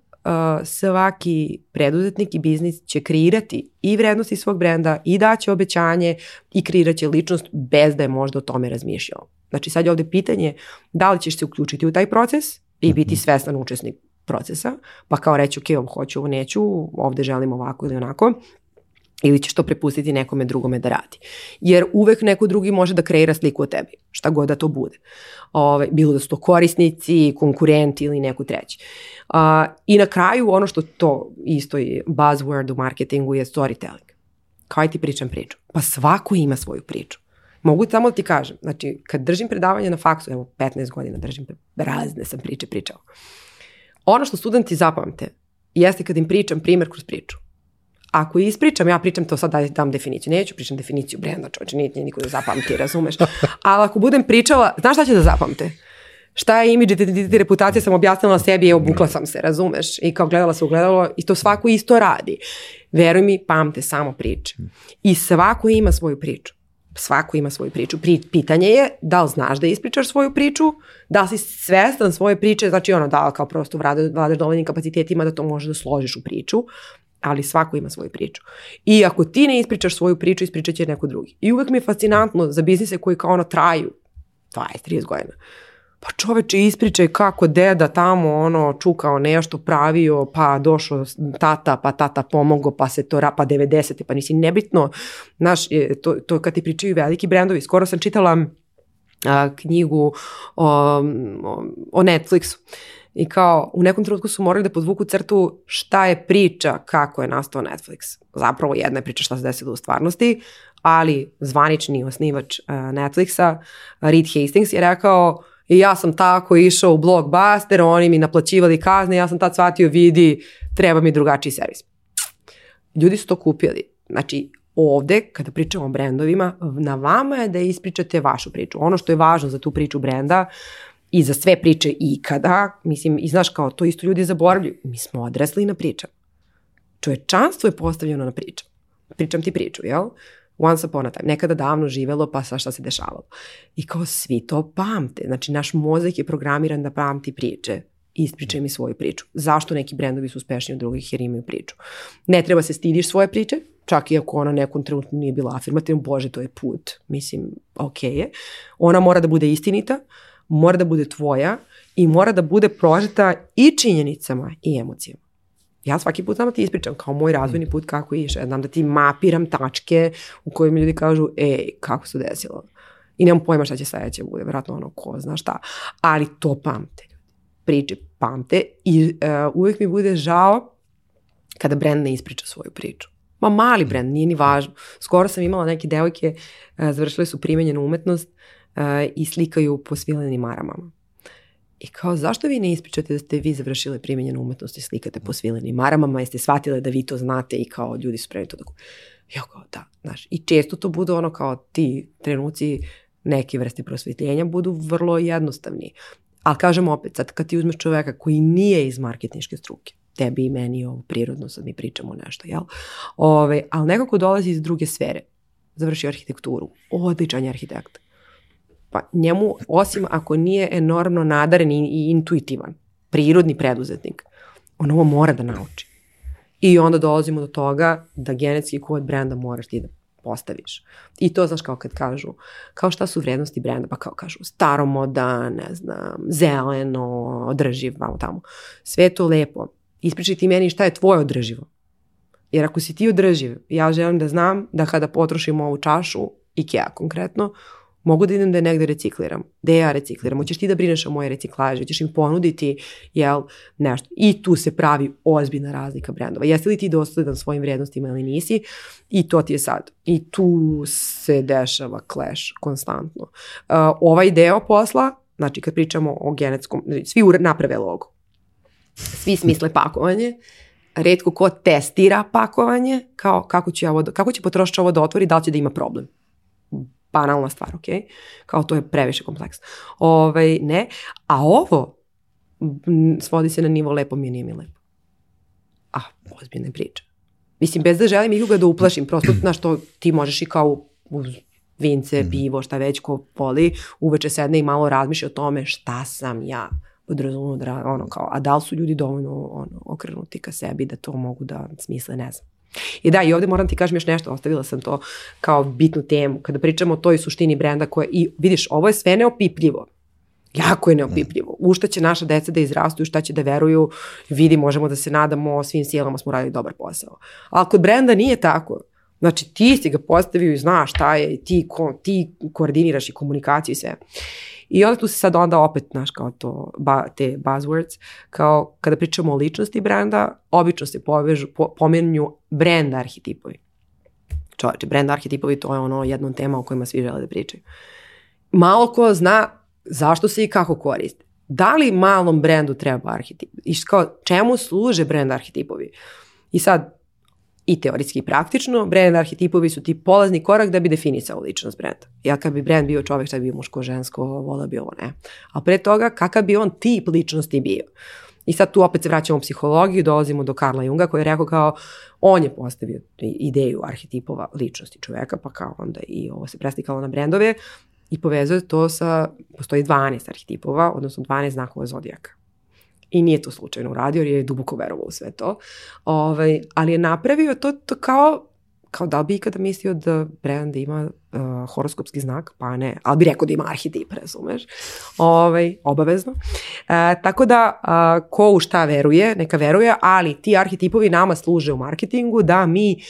svaki preduzetnik i biznis će kreirati i vrednosti svog brenda i daće obećanje i kreirat će ličnost bez da je možda o tome razmišljao. Znači sad je ovde pitanje da li ćeš se uključiti u taj proces i biti svestan učesnik procesa, pa kao reći ok, ovo hoću, ovo neću, ovde želim ovako ili onako, ili ćeš to prepustiti nekome drugome da radi. Jer uvek neko drugi može da kreira sliku o tebi, šta god da to bude. Bilo da su to korisnici, konkurenti ili neko treći. I na kraju ono što to isto je buzzword u marketingu je storytelling. Kao ti pričam priču. Pa svako ima svoju priču. Mogu samo da ti kažem, znači kad držim predavanje na faksu, evo 15 godina držim, razne sam priče pričao. Ono što studenti zapamte jeste kad im pričam primer kroz priču. Ako ispričam, ja pričam to sad da dam definiciju. Neću pričam definiciju brenda, čovječe, nije niko da zapamti, razumeš? Ali ako budem pričala, znaš šta će da zapamte? Šta je imidž, identitet, reputacija, sam objasnila sebi i obukla sam se, razumeš? I kao gledala se ugledalo i to svako isto radi. Veruj mi, pamte samo priče. I svako ima svoju priču. Svako ima svoju priču. Pitanje je da li znaš da ispričaš svoju priču, da li si svestan svoje priče, znači da li kao prosto vladaš dovoljnim kapacitetima da to možeš da složiš u priču, ali svako ima svoju priču. I ako ti ne ispričaš svoju priču, ispričat će neko drugi. I uvek mi je fascinantno za biznise koji kao traju 20-30 godina. Pa čoveče, ispričaj kako deda tamo čukao nešto, pravio, pa došao tata, pa tata pomogao, pa se to pa 90. pa nisi nebitno. Znaš, to kad ti pričaju veliki brendovi. Skoro sam čitala knjigu o Netflixu. I kao u nekom trenutku su morali da podvuku crtu šta je priča kako je nastao Netflix. Zapravo jedna je priča šta se desilo u stvarnosti, ali zvanični osnivač Netflixa, Reed Hastings, je rekao i ja sam tako išao u Blockbuster, oni mi naplaćivali kazne, ja sam tad shvatio, vidi, treba mi drugačiji servis. Ljudi su to kupili. Znači, ovde, kada pričamo o brendovima, na vama je da ispričate vašu priču. Ono što je važno za tu priču brenda i za sve priče ikada, mislim, i znaš kao, to isto ljudi zaboravljaju. Mi smo odrasli na pričama. Čovečanstvo je postavljeno na pričam. Pričam ti priču, jel? Once upon a time. Nekada davno živelo, pa šta se dešavalo. I kao svi to pamte. Znači, naš mozak je programiran da pamti priče. Ispričaj mi svoju priču. Zašto neki brendovi su uspešniji od drugih? Jer imaju priču. Ne treba se stidiš svoje priče, čak i ako ona nekom trenutku nije bila afirmativna. Bože, to je put. Mislim, ok je. Ona mora da bude istinita, mora da bude tvoja i mora da bude prožeta i činjenicama i emocijama. Ja svaki put znam ti ispričam kao moj razvojni put kako je išao. Ja znam da ti mapiram tačke u kojima ljudi kažu kako se desilo. I nemam pojma šta će sledeće bude. Vjerojatno ko zna šta. Ali to pamte. Priče pamte i uvijek mi bude žao kada brend ne ispriča svoju priču. Ma mali brend, nije ni važno. Skoro sam imala neke devojke, završile su primenjenu umetnost i slikaju po svilenim maramama. I kao, zašto vi ne ispričate da ste vi završile primjenjenu umetnost i slikate po svilenim maramama, jeste shvatile da vi to znate i kao ljudi su spremni to da... Ja kao, da, znaš. I često to budu ono kao ti trenuci neke vrste prosvetljenja budu vrlo jednostavni. Ali kažem opet, sad kad ti uzmeš čoveka koji nije iz marketinške struke, tebi i meni je ovo prirodno, sad mi pričamo nešto, jel? Ali nekako dolazi iz druge sfere. Završio arhitekturu, odličan je arhitekt. Pa njemu, osim ako nije enormno nadaren i intuitivan, prirodni preduzetnik, on ovo mora da nauči. I onda dolazimo do toga da genetski kod brenda moraš ti da postaviš. I to, znaš, kao kad kažu, kao šta su vrednosti brenda, pa kao kažu staromodan, ne znam, zeleno, održiv, vamo tamo. Sve to lepo. Ispričaj ti meni šta je tvoje održivo. Jer ako si ti održiv, ja želim da znam da kada potrošim ovu čašu, IKEA konkretno, mogu da idem da je negde recikliram. Da ja recikliram. Hoćeš ti da brineš o moje reciklaže, hoćeš im ponuditi, jel, nešto. I tu se pravi ozbiljna razlika brendova. Jesi li ti dosledan svojim vrednostima ili nisi? I to ti je sad. I tu se dešava clash konstantno. Ovaj deo posla, znači kad pričamo o genetskom, svi naprave logo. Svi smisle pakovanje. Retko ko testira pakovanje, kao kako će potrošač ovo da otvori, da li će da ima problem. Banalna stvar, ok? Kao to je previše kompleksno. Ne. A ovo svodi se na nivo lepo mi je, nije mi lepo. Ozbiljna priča. Mislim, bez da želim ikoga da uplašim, prosto, znaš, to ti možeš i kao uz vince, pivo, šta već ko voli, uveče sedne i malo razmišlja o tome šta sam ja podrazumno, a da li su ljudi dovoljno okrenuti ka sebi da to mogu da smisle, ne znam. I da, i ovde moram ti kažem još nešto, ostavila sam to kao bitnu temu, kada pričamo o toj suštini brenda koja, i vidiš, ovo je sve neopipljivo, jako je neopipljivo, u šta će naša deca da izrastu, u šta će da veruju, vidi, možemo da se nadamo, svim silama smo radili dobar posao. Ali kod brenda nije tako, znači ti si ga postavio i znaš šta je, ti koordiniraš i komunikaciju i sve. I onda tu se sad onda opet, znaš, kao to, te buzzwords, kao kada pričamo o ličnosti brenda, obično se pomenju brand arhetipovi. Čovječe, brand arhetipovi, to je ono jedno tema o kojima svi žele da pričaju. Malo ko zna zašto se i kako koriste. Da li malom brendu treba arhetip? I kao, čemu služe brand arhetipovi? I sad, i teoretski i praktično, brand arhetipovi su ti polazni korak da bi definisao ličnost brenda. Ja kad bi brand bio čovjek, šta bi bio muško, žensko, vola bi ovo, ne. A pre toga, kakav bi on tip ličnosti bio? I sad tu opet se vraćamo u psihologiju, dolazimo do Karla Junga koji je rekao kao, on je postavio ideju arhetipova ličnosti čovjeka, pa kao onda i ovo se preslikalo na brendove i povezuje to sa, postoji 12 arhetipova, odnosno 12 znakova zodijaka. I nije to slučajno uradio, jer je duboko verovao u sve to. Ali je napravio to kao da li bi ikada mislio da brand ima horoskopski znak, pa ne, ali bi rekao da ima arhetip, razumeš, obavezno. Tako da, ko u šta veruje, neka veruje, ali ti arhetipovi nama služe u marketingu da mi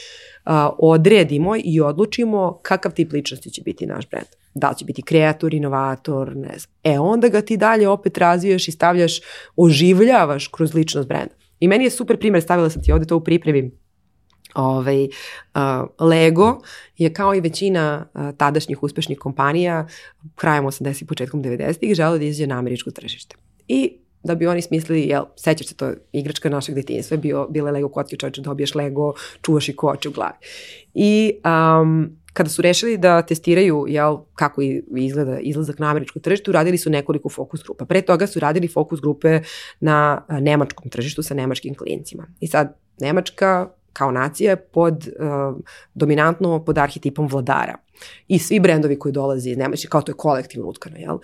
odredimo i odlučimo kakav tip ličnosti će biti naš brand. Da li će biti kreator, inovator, ne znam. Onda ga ti dalje opet razvijaš i stavljaš, oživljavaš kroz ličnost brenda. I meni je super primjer, stavila sam ti ovdje to u pripremi. Lego je kao i većina tadašnjih uspešnih kompanija krajem 80-ih, početkom 90-ih želeo da izađe na američko tržište. I da bi oni smislili, sećaš se, to je igračka našeg detinjstva, bile Lego kocke, čovječe, dobiješ Lego, čuvaš i koče u glavi. I kada su rešili da testiraju kako izgleda izlazak na američko tržište, uradili su nekoliko fokus grupa. Pre toga su radili fokus grupe na nemačkom tržištu sa nemačkim klincima. I sad, Nemačka kao nacija je dominantno pod arhetipom vladara. I svi brendovi koji dolaze iz Nemačke, kao to je kolektivno utkano,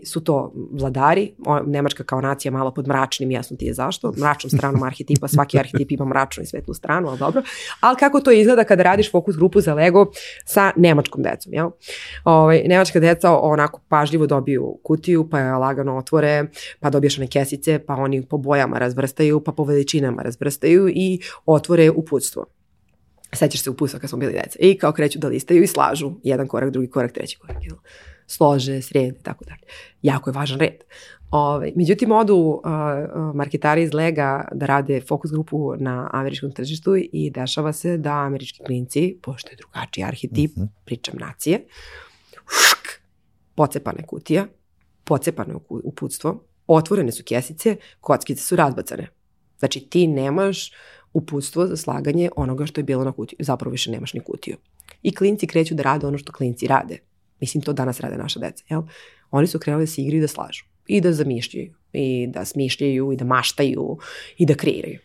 su to vladari. Nemačka kao nacija malo pod mračnim, jasno ti je zašto, mračnom stranom arhetipa, svaki arhetip ima mračnu i svetlu stranu, ali dobro. Ali kako to izgleda kada radiš fokus grupu za Lego sa nemačkom decom, Nemačka deca onako pažljivo dobiju kutiju, pa je lagano otvore, pa dobiješ one kesice, pa oni po bojama razvrstaju, pa po veličinama razvrstaju i otvore uputstvo. Sećaš se uputstva kad smo bili deca. I kao kreću da listaju i slažu jedan korak, drugi korak, treći korak. Slože, srede, tako dalje. Jako je važan red. Međutim, odu marketari iz Lega da rade fokus grupu na američkom tržištu i dešava se da američki klinci, pošto je drugačiji arhetip, pričam nacije, pocepane kutija, pocepane uputstvo, otvorene su kesice, kockice su razbacane. Znači ti nemaš uputstvo za slaganje onoga što je bilo na kutiju. Zapravo više nemaš ni kutiju. I klinci kreću da rade ono što klinci rade. Mislim, to danas rade naša deca, jel? Oni su krenuli da se igraju i da slažu. I da zamišljaju. I da smišljaju, i da maštaju, i da kreiraju.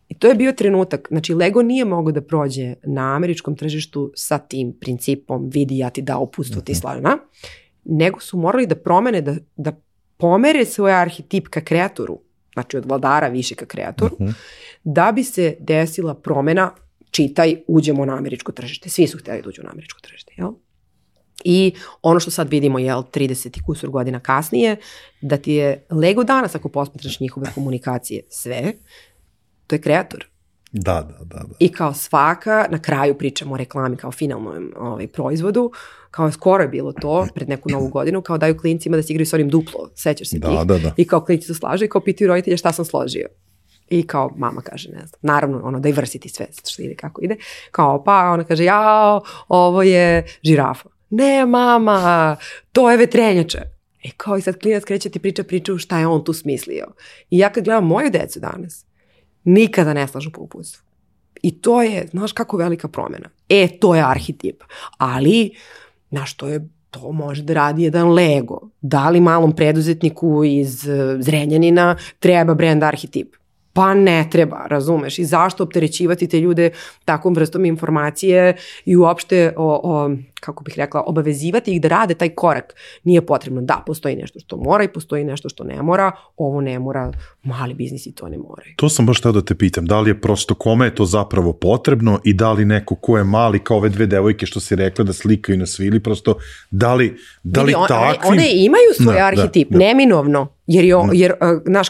I to je bio trenutak. Znači, Lego nije mogao da prođe na američkom tržištu sa tim principom vidi ja ti dao uputstvo, ti slažena, nego su morali da promene, da pomere svoj arhetip ka kreatoru, znači od vladara više ka kreatoru, da bi se desila promena, čitaj, uđemo na američko tržište. Svi su htjeli da uđu na američko tržište, jel? I ono što sad vidimo, 30 i kusur godina kasnije, da ti je Lego danas, ako posmatraš njihove komunikacije, sve, to je kreator. Da. I kao svaka, na kraju pričamo o reklami kao finalnom proizvodu, kao skoro je bilo to, pred neku novu godinu, kao daju klincima da se igraju s onim duplo, sećaš se tih? Da. I kao klinci se slažu i kao pitaju roditelja šta sam složio. I kao mama kaže, ne znam, naravno, diversity sve što ide kako ide. Kao pa, ona kaže, jao, ovo je žirafa. Ne, mama, to je vetrenjača. Kao i sad klinac kreće ti priču šta je on tu smislio. I ja kad gledam moju decu danas, nikada ne slažu po uputstvu. I to je, znaš kako velika promjena. To je arhetip. Ali, znaš, to može da radi jedan Lego. Da li malom preduzetniku iz Zrenjanina treba brand arhetip? Pa ne treba, razumeš. I zašto opterećivati te ljude takvom vrstom informacije i uopšte, kako bih rekla, obavezivati ih da rade taj korak. Nije potrebno. Da, postoji nešto što mora i postoji nešto što ne mora. Ovo ne mora, mali biznisi to ne moraju. To sam baš htio da te pitam, da li je prosto kome je to zapravo potrebno i da li neko ko je mali, kao ove dve devojke što si rekla da slikaju na svili, prosto da li takvim... One imaju svoj arhetip, neminovno. Jer znaš,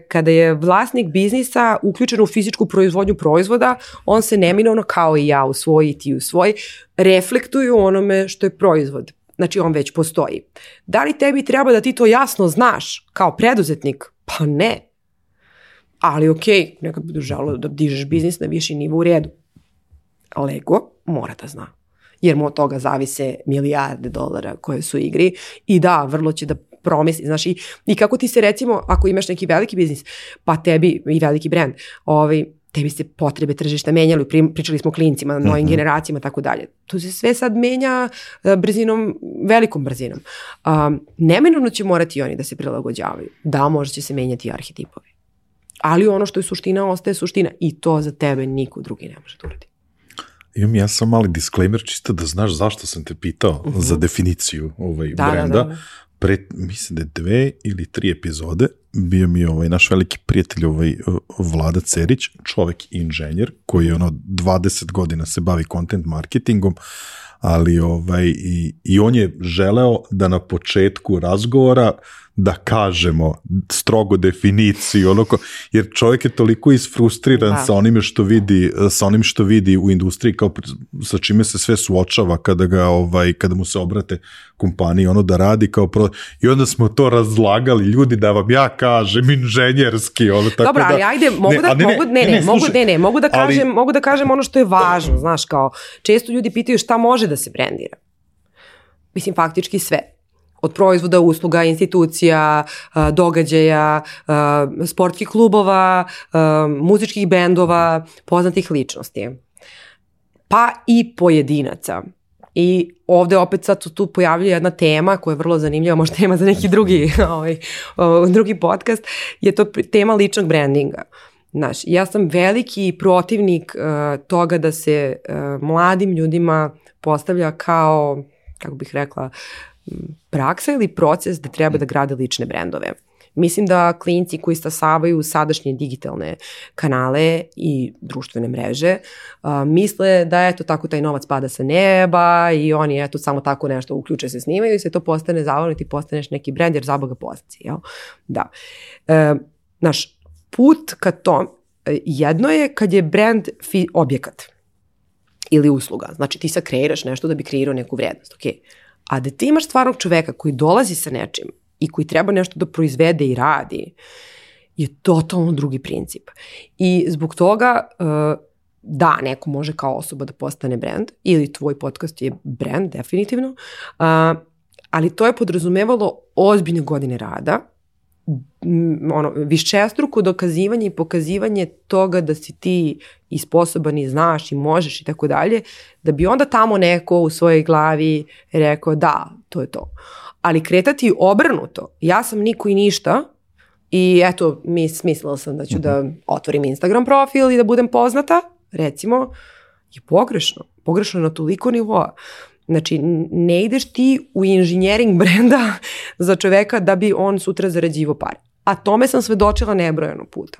kada je vlasnik biznisa uključen u fizičku proizvodnju proizvoda, on se neminovno, kao i ja u svoj i ti u svoj, reflektuju onome što je proizvod. Znači, on već postoji. Da li tebi treba da ti to jasno znaš kao preduzetnik? Pa ne. Ali okej, nekad budu želelo da dižeš biznis na viši nivo, u redu. Lego mora da zna. Jer mu od toga zavise milijarde dolara koje su u igri. I da, vrlo će da promisli, znaš, i kako ti se, recimo, ako imaš neki veliki biznis, pa tebi i veliki brand, tebi se potrebe tržišta menjali, pričali smo o klincima, novim generacijama, tako dalje. To se sve sad menja brzinom, velikom brzinom. Neminovno će morati oni da se prilagođavaju. Da, možda će se menjati arhetipovi. Ali ono što je suština, ostaje suština. I to za tebe niko drugi ne može da uradi. Imam ja sam mali disclaimer, čisto da znaš zašto sam te pitao za definiciju brenda. Da. Mislim da je 2 ili 3 epizode bio mi naš veliki prijatelj Vlada Cerić, čovek inženjer koji 20 godina se bavi content marketingom, ali i on je želeo da na početku razgovora da kažemo strogo definiciju, jer čovjek je toliko isfrustriran sa onim što vidi u industriji, kao sa čime se sve suočava kada mu se obrate kompaniji, da radi i onda smo to razlagali, ljudi, da vam ja kažem inženjerski, tako. Dobro, ali ajde, mogu da kažem ono što je važno, znaš, kao često ljudi pitaju šta može da se brendira. Mislim, faktički sve. Od proizvoda, usluga, institucija, događaja, sportskih klubova, muzičkih bendova, poznatih ličnosti. Pa i pojedinaca. I ovde opet sad tu pojavljuje jedna tema koja je vrlo zanimljiva, možda tema za neki drugi podcast, je to tema ličnog brandinga. Znaš, ja sam veliki protivnik toga da se mladim ljudima postavlja kao, kako bih rekla, praksa ili proces da treba da grade lične brendove. Mislim da klinci koji stasavaju sadašnje digitalne kanale i društvene mreže misle da tako taj novac pada sa neba i oni samo tako nešto uključe se, snimaju i se to postane zavodno i ti postaneš neki brend jer zaboga postaci. Da. Naš put ka tom, jedno je kad je brend objekat ili usluga. Znači ti sad kreiraš nešto da bi kreirao neku vrednost. Okay. A da ti imaš stvarnog čoveka koji dolazi sa nečim i koji treba nešto da proizvede i radi, je totalno drugi princip. I zbog toga, da, neko može kao osoba da postane brand, ili tvoj podcast je brand, definitivno, ali to je podrazumevalo ozbiljne godine rada višestruko dokazivanje i pokazivanje toga da si ti i sposoban i znaš i možeš i tako dalje, da bi onda tamo neko u svojoj glavi rekao da, to je to. Ali kretati obrnuto, ja sam niko i ništa i eto, smislila sam da ću da otvorim Instagram profil i da budem poznata, recimo, je pogrešno. Pogrešno na toliko nivoa. Znači, ne ideš ti u inženjering brenda za čoveka da bi on sutra zarađivo pare. A tome sam svedočila nebrojeno puta.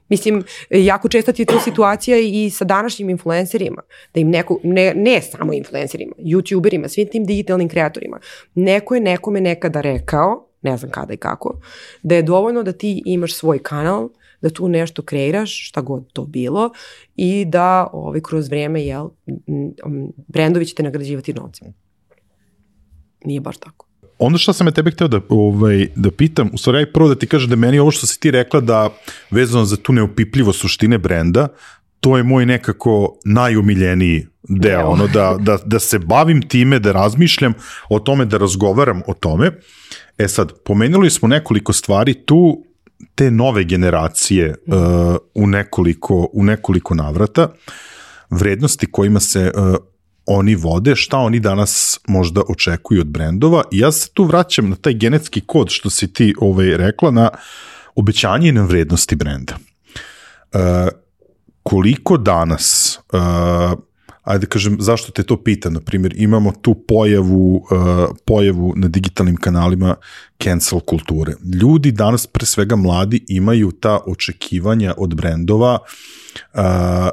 Mislim, jako česta ti je to situacija i sa današnjim influencerima, da im neko, ne samo influencerima, youtuberima, svim tim digitalnim kreatorima, neko je nekome nekada rekao, ne znam kada i kako, da je dovoljno da ti imaš svoj kanal, da tu nešto kreiraš, šta god to bilo, i da kroz vreme, brendovi će te nagrađivati novcem. Nije baš tako. Ono što sam tebe hteo da pitam, u stvari prvo da ti kažem da meni ovo što si ti rekla da vezano za tu neupipljivo suštine brenda, to je moj nekako najomiljeniji deo, da se bavim time, da razmišljam o tome, da razgovaram o tome. Sad, pomenuli smo nekoliko stvari tu, te nove generacije u nekoliko navrata, vrednosti kojima se oni vode, šta oni danas možda očekuju od brendova. I ja se tu vraćam na taj genetski kod što si ti rekla, na obećanje i na vrednosti brenda. Koliko danas, ajde kažem, zašto te to pitam, na primjer, imamo tu pojavu na digitalnim kanalima cancel kulture. Ljudi danas, pre svega mladi, imaju ta očekivanja od brendova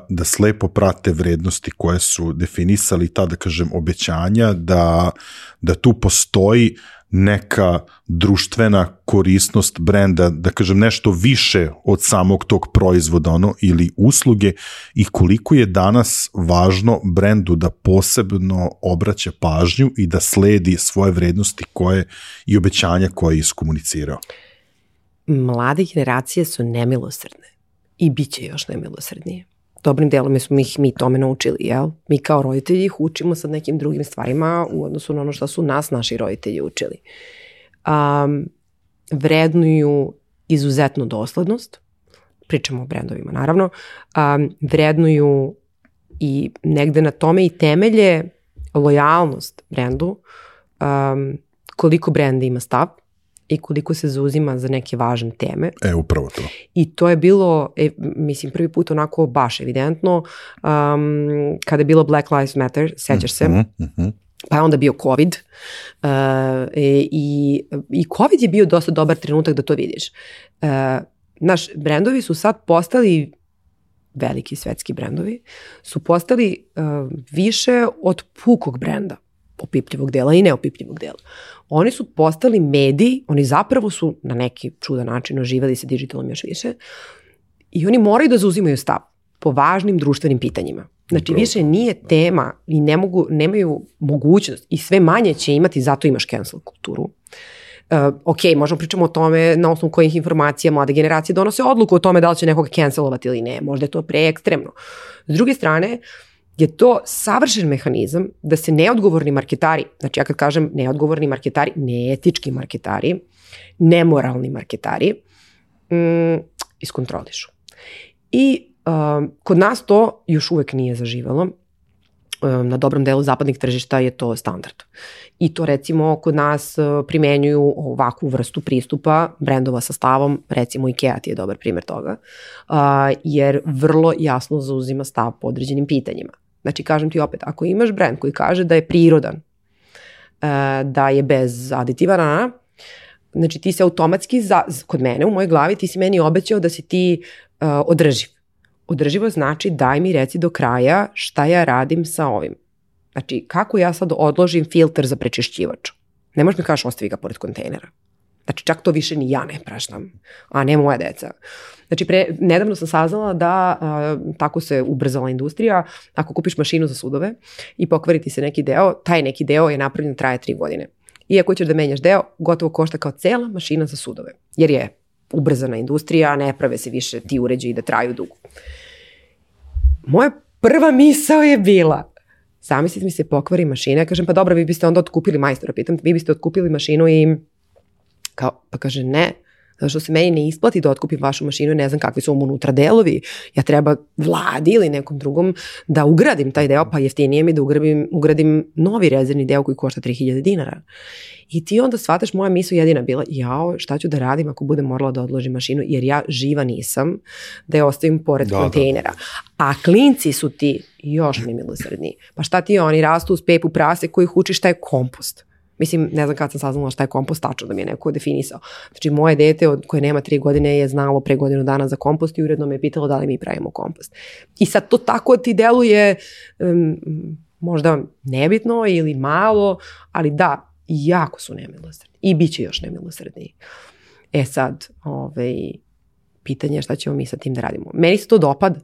da slepo prate vrednosti koje su definisali, ta, da kažem, obećanja, da tu postoji neka društvena korisnost brenda, da kažem nešto više od samog tog proizvoda ili usluge, i koliko je danas važno brendu da posebno obraća pažnju i da sledi svoje vrednosti i obećanja koje je iskomunicirao. Mlade generacije su nemilosrdne i bit će još nemilosrdnije. Dobrim delom smo ih mi tome naučili, jel? Mi kao roditelji ih učimo sa nekim drugim stvarima u odnosu na ono što su nas naši roditelji učili. Vrednuju izuzetnu doslednost, pričamo o brendovima naravno, vrednuju i negde na tome i temelje lojalnost brendu, koliko brenda ima stav i koliko se zauzima za neke važne teme. Upravo to. I to je bilo, mislim, prvi put onako baš evidentno, kada je bilo Black Lives Matter, sećaš se, pa je onda bio COVID, i COVID je bio dosta dobar trenutak da to vidiš. Brendovi su sad postali, veliki svetski brendovi, su postali više od pukog brenda, opipljivog dela i neopipljivog dela. Oni su postali mediji, oni zapravo su na neki čudan način oživeli se digitalom još više i oni moraju da zauzimaju stav po važnim društvenim pitanjima. Znači više nije tema i nemaju mogućnost i sve manje će imati, zato imaš cancel kulturu. Ok, možemo pričamo o tome na osnovu kojih informacija mlade generacije donose odluku o tome da li će nekoga cancelovati ili ne. Možda je to preekstremno. S druge strane, je to savršen mehanizam da se neodgovorni marketari, znači ja kad kažem neodgovorni marketari, neetički marketari, nemoralni marketari, iskontrolišu. I kod nas to još uvek nije zaživalo. Na dobrom delu zapadnih tržišta je to standard. I to recimo kod nas primenjuju ovakvu vrstu pristupa brendova sa stavom, recimo IKEA ti je dobar primjer toga, jer vrlo jasno zauzima stav po određenim pitanjima. Znači, kažem ti opet, ako imaš brend koji kaže da je prirodan, da je bez aditiva, znači ti se automatski, kod mene u mojoj glavi, ti si meni obećao da si ti održiv. Održivo znači daj mi reci do kraja šta ja radim sa ovim. Znači, kako ja sad odložim filter za prečišćivač? Ne možeš mi kažeš ostavi ga pored kontejnera. Znači, čak to više ni ja ne praštam, a ne moja deca. Znači, nedavno sam saznala da tako se ubrzala industrija. Ako kupiš mašinu za sudove i pokvari ti se neki deo, taj neki deo je napravljen, traje 3 godine. Iako ćeš da menjaš deo, gotovo košta kao cela mašina za sudove. Jer je ubrzana industrija, ne prave se više ti uređaji da traju dugo. Moja prva misao je bila, zamislite mi se pokvari mašina, ja kažem pa dobro, vi biste onda otkupili majstora, pitam, vi biste otkupili mašinu i kao, pa kaže ne, Zato što se meni ne isplati da otkupim vašu mašinu, ne znam kakvi su vam unutra delovi. Ja treba vladi ili nekom drugom da ugradim taj deo, pa jeftinije mi da ugradim novi rezervni deo koji košta 3000 dinara. I ti onda shvataš, moja misao jedina bila, jao, šta ću da radim ako budem morala da odložim mašinu, jer ja živa nisam da je ostavim pored kontejnera. A klinci su ti još nemilosrdni. Pa šta ti oni rastu uz pepu prase koji ih uči šta je kompost. Mislim, ne znam kad sam saznala šta je kompost, tačno da mi je neko definisao. Znači, moje dete koje nema 3 godine je znalo pre godinu dana za kompost i uredno me je pitalo da li mi pravimo kompost. I sad to tako ti deluje možda nebitno ili malo, ali da, jako su nemilosrdni i bit će još nemilosrdniji. E sad, pitanje je šta ćemo mi sa tim da radimo. Meni se to dopada.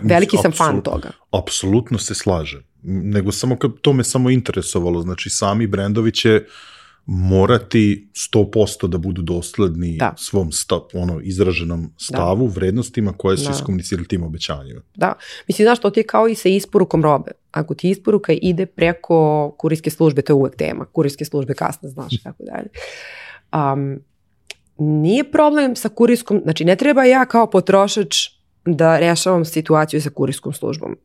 Veliki sam fan toga. Apsolutno se slažem. Nego samo to me samo interesovalo. Znači, sami brendovi će morati 100% da budu dosledni svom izraženom stavu, vrednostima koje su iskomunicirali tim obećanjima. Da. Mislim, znaš, to ti je kao i sa isporukom robe. Ako ti isporuka ide preko kurirske službe, to je uvek tema. Kurirske službe kasno, znaš, tako dalje. Nije problem sa kurirskom, znači ne treba ja kao potrošač da rešavam situaciju sa kurirskom službom.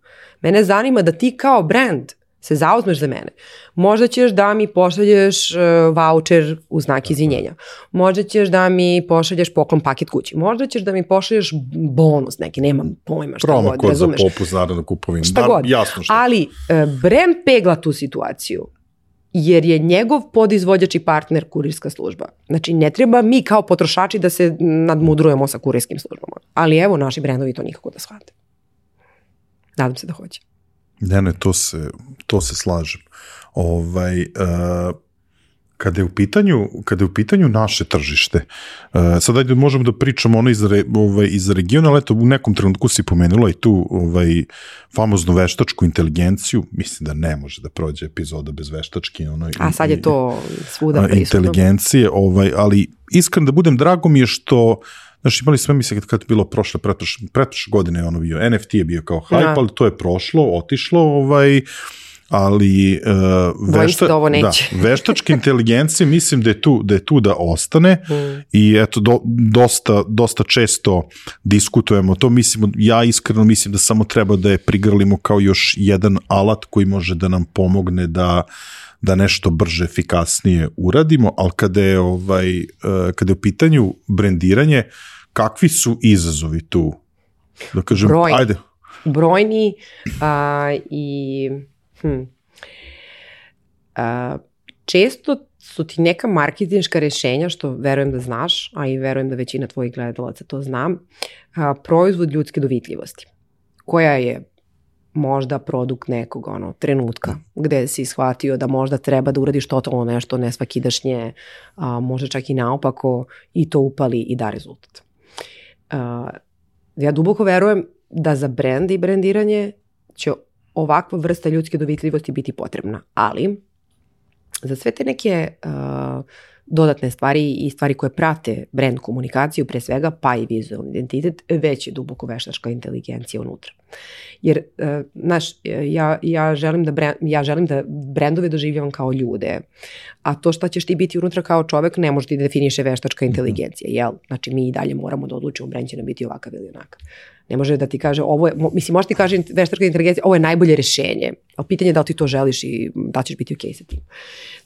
Mene zanima da ti kao brand se zauzmeš za mene. Možda ćeš da mi pošalješ voucher u znak izvinjenja. Možda ćeš da mi pošalješ poklon paket kući. Možda ćeš da mi pošalješ bonus neki, nemam pojma šta god, razumeš. Promo za popust, naravno kupovinu. Šta god. Jasno šta. Ali brand pegla tu situaciju. Jer je njegov podizvođač i partner kurirska služba. Znači, ne treba mi kao potrošači da se nadmudrujemo sa kurirskim službama. Ali evo, naši brendovi to nikako da shvate. Nadam se da hoće. Ne, to se slažem. Kada je u pitanju naše tržište, sad ajde možemo da pričamo iz regiona, ali eto u nekom trenutku si pomenula i tu famoznu veštačku inteligenciju, mislim da ne može da prođe epizoda bez veštačke. A sad je to svuda prisutno. Inteligencije, ali iskreno da budem, drago mi je što, znaš, imali sve, mislim, kad je bilo pretprošle godine ono bio, NFT je bio kao hype, ali to je prošlo, otišlo, ali veštačke inteligencije mislim da je tu da ostane i eto dosta često diskutujemo to, ja iskreno mislim da samo treba da je prigrlimo kao još jedan alat koji može da nam pomogne da nešto brže, efikasnije uradimo, ali kada je u pitanju brendiranje, kakvi su izazovi tu? Da kažem, ajde. Brojni i često su ti neka marketinška rešenja, što verujem da znaš, a i verujem da većina tvojih gledalaca to zna, proizvod ljudske dovitljivosti, koja je možda produkt nekog trenutka gde si shvatio da možda treba da uradiš totalno nešto nesvakidašnje, možda čak i naopako, i to upali i da rezultat. Ja duboko verujem da za brend i brendiranje će ovakva vrsta ljudske dovitljivosti biti potrebna, ali za sve te neke dodatne stvari i stvari koje prate brand komunikaciju, pre svega, pa i vizualni identitet, već je duboko veštačka inteligencija unutra. Jer, znaš, ja želim da brendove doživljavam kao ljude, a to šta ćeš ti biti unutra kao čovek ne može ti definiše veštačka inteligencija, jel? Znači, mi i dalje moramo da odlučimo brend će nam biti ovakav ili onakav. Ne može da ti kaže, može ti kaže veštačka inteligencija, ovo je najbolje rešenje, ali pitanje je da li ti to želiš i da ćeš biti okej sa tim.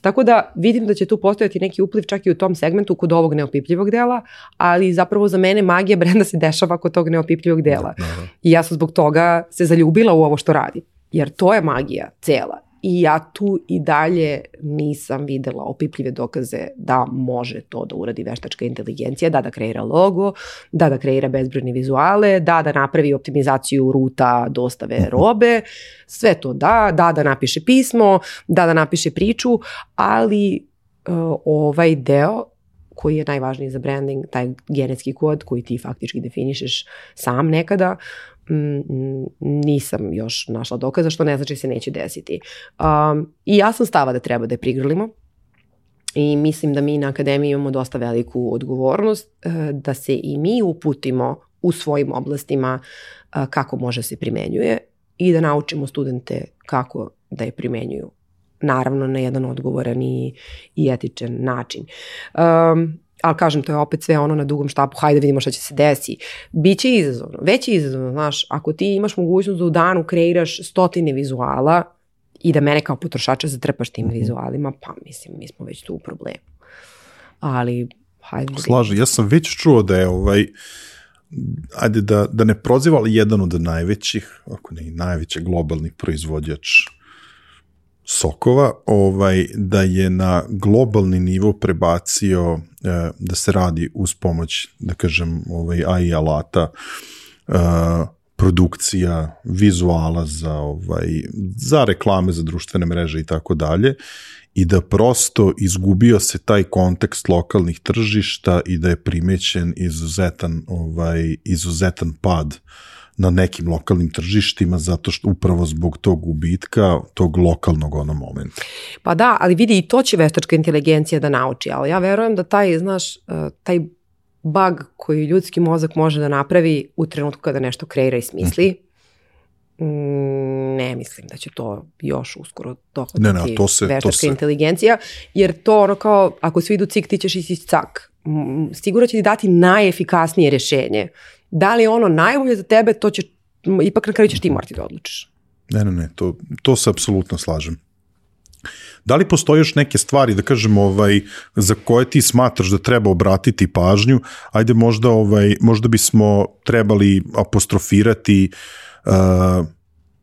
Tako da vidim da će tu postojati neki upliv čak i u tom segmentu kod ovog neopipljivog dela, ali zapravo za mene magija brenda se dešava kod tog neopipljivog dela. I ja sam zbog toga se zaljubila u ovo što radim, jer to je magija cela. I ja tu i dalje nisam videla opipljive dokaze da može to da uradi veštačka inteligencija, da kreira logo, da kreira bezbrojne vizuale, da napravi optimizaciju ruta dostave robe, sve to da napiše pismo, da napiše priču, ali ovaj deo koji je najvažniji za branding, taj genetski kod koji ti faktički definišeš sam nekada, nisam još našla dokaza, što ne znači se neće desiti. I ja sam stava da treba da je prigrlimo i mislim da mi na akademiji imamo dosta veliku odgovornost da se i mi uputimo u svojim oblastima kako može se primenjuje i da naučimo studente kako da je primenjuju. Naravno na jedan odgovoran i etičan način. ali kažem, to je opet sve ono na dugom štapu, hajde vidimo šta će se desi. Biće izazovno, već je izazovno, znaš, ako ti imaš mogućnost da u danu kreiraš 100 vizuala i da mene kao potrošača zatrpaš tim vizualima, pa mislim, mi smo već tu u problemu. Ali, hajde. Slažem, ja sam već čuo da je ajde da ne proziva, ali jedan od najvećih, ako ne i najveći globalni proizvođač sokova, da je na globalni nivo prebacio da se radi uz pomoć, da kažem, AI alata, produkcija vizuala za reklame, za društvene mreže i tako dalje, i da prosto izgubio se taj kontekst lokalnih tržišta i da je primećen izuzetan pad na nekim lokalnim tržištima, zato što upravo zbog tog gubitka, tog lokalnog momenta. Pa da, ali vidi, i to će veštačka inteligencija da nauči, ali ja verujem da taj bug koji ljudski mozak može da napravi u trenutku kada nešto kreira i smisli, ne mislim da će to još uskoro dohvatiti veštačka inteligencija, jer to kao, ako svi idu cik, ti ćeš ići cak. Sigurno će ti dati najefikasnije rješenje. Da li je ono najbolje za tebe, to će, ipak na kraju ćeš ti morati da odlučiš. Ne, to se apsolutno slažem. Da li postoje još neke stvari, da kažem, za koje ti smatraš da treba obratiti pažnju? Ajde, možda bismo trebali apostrofirati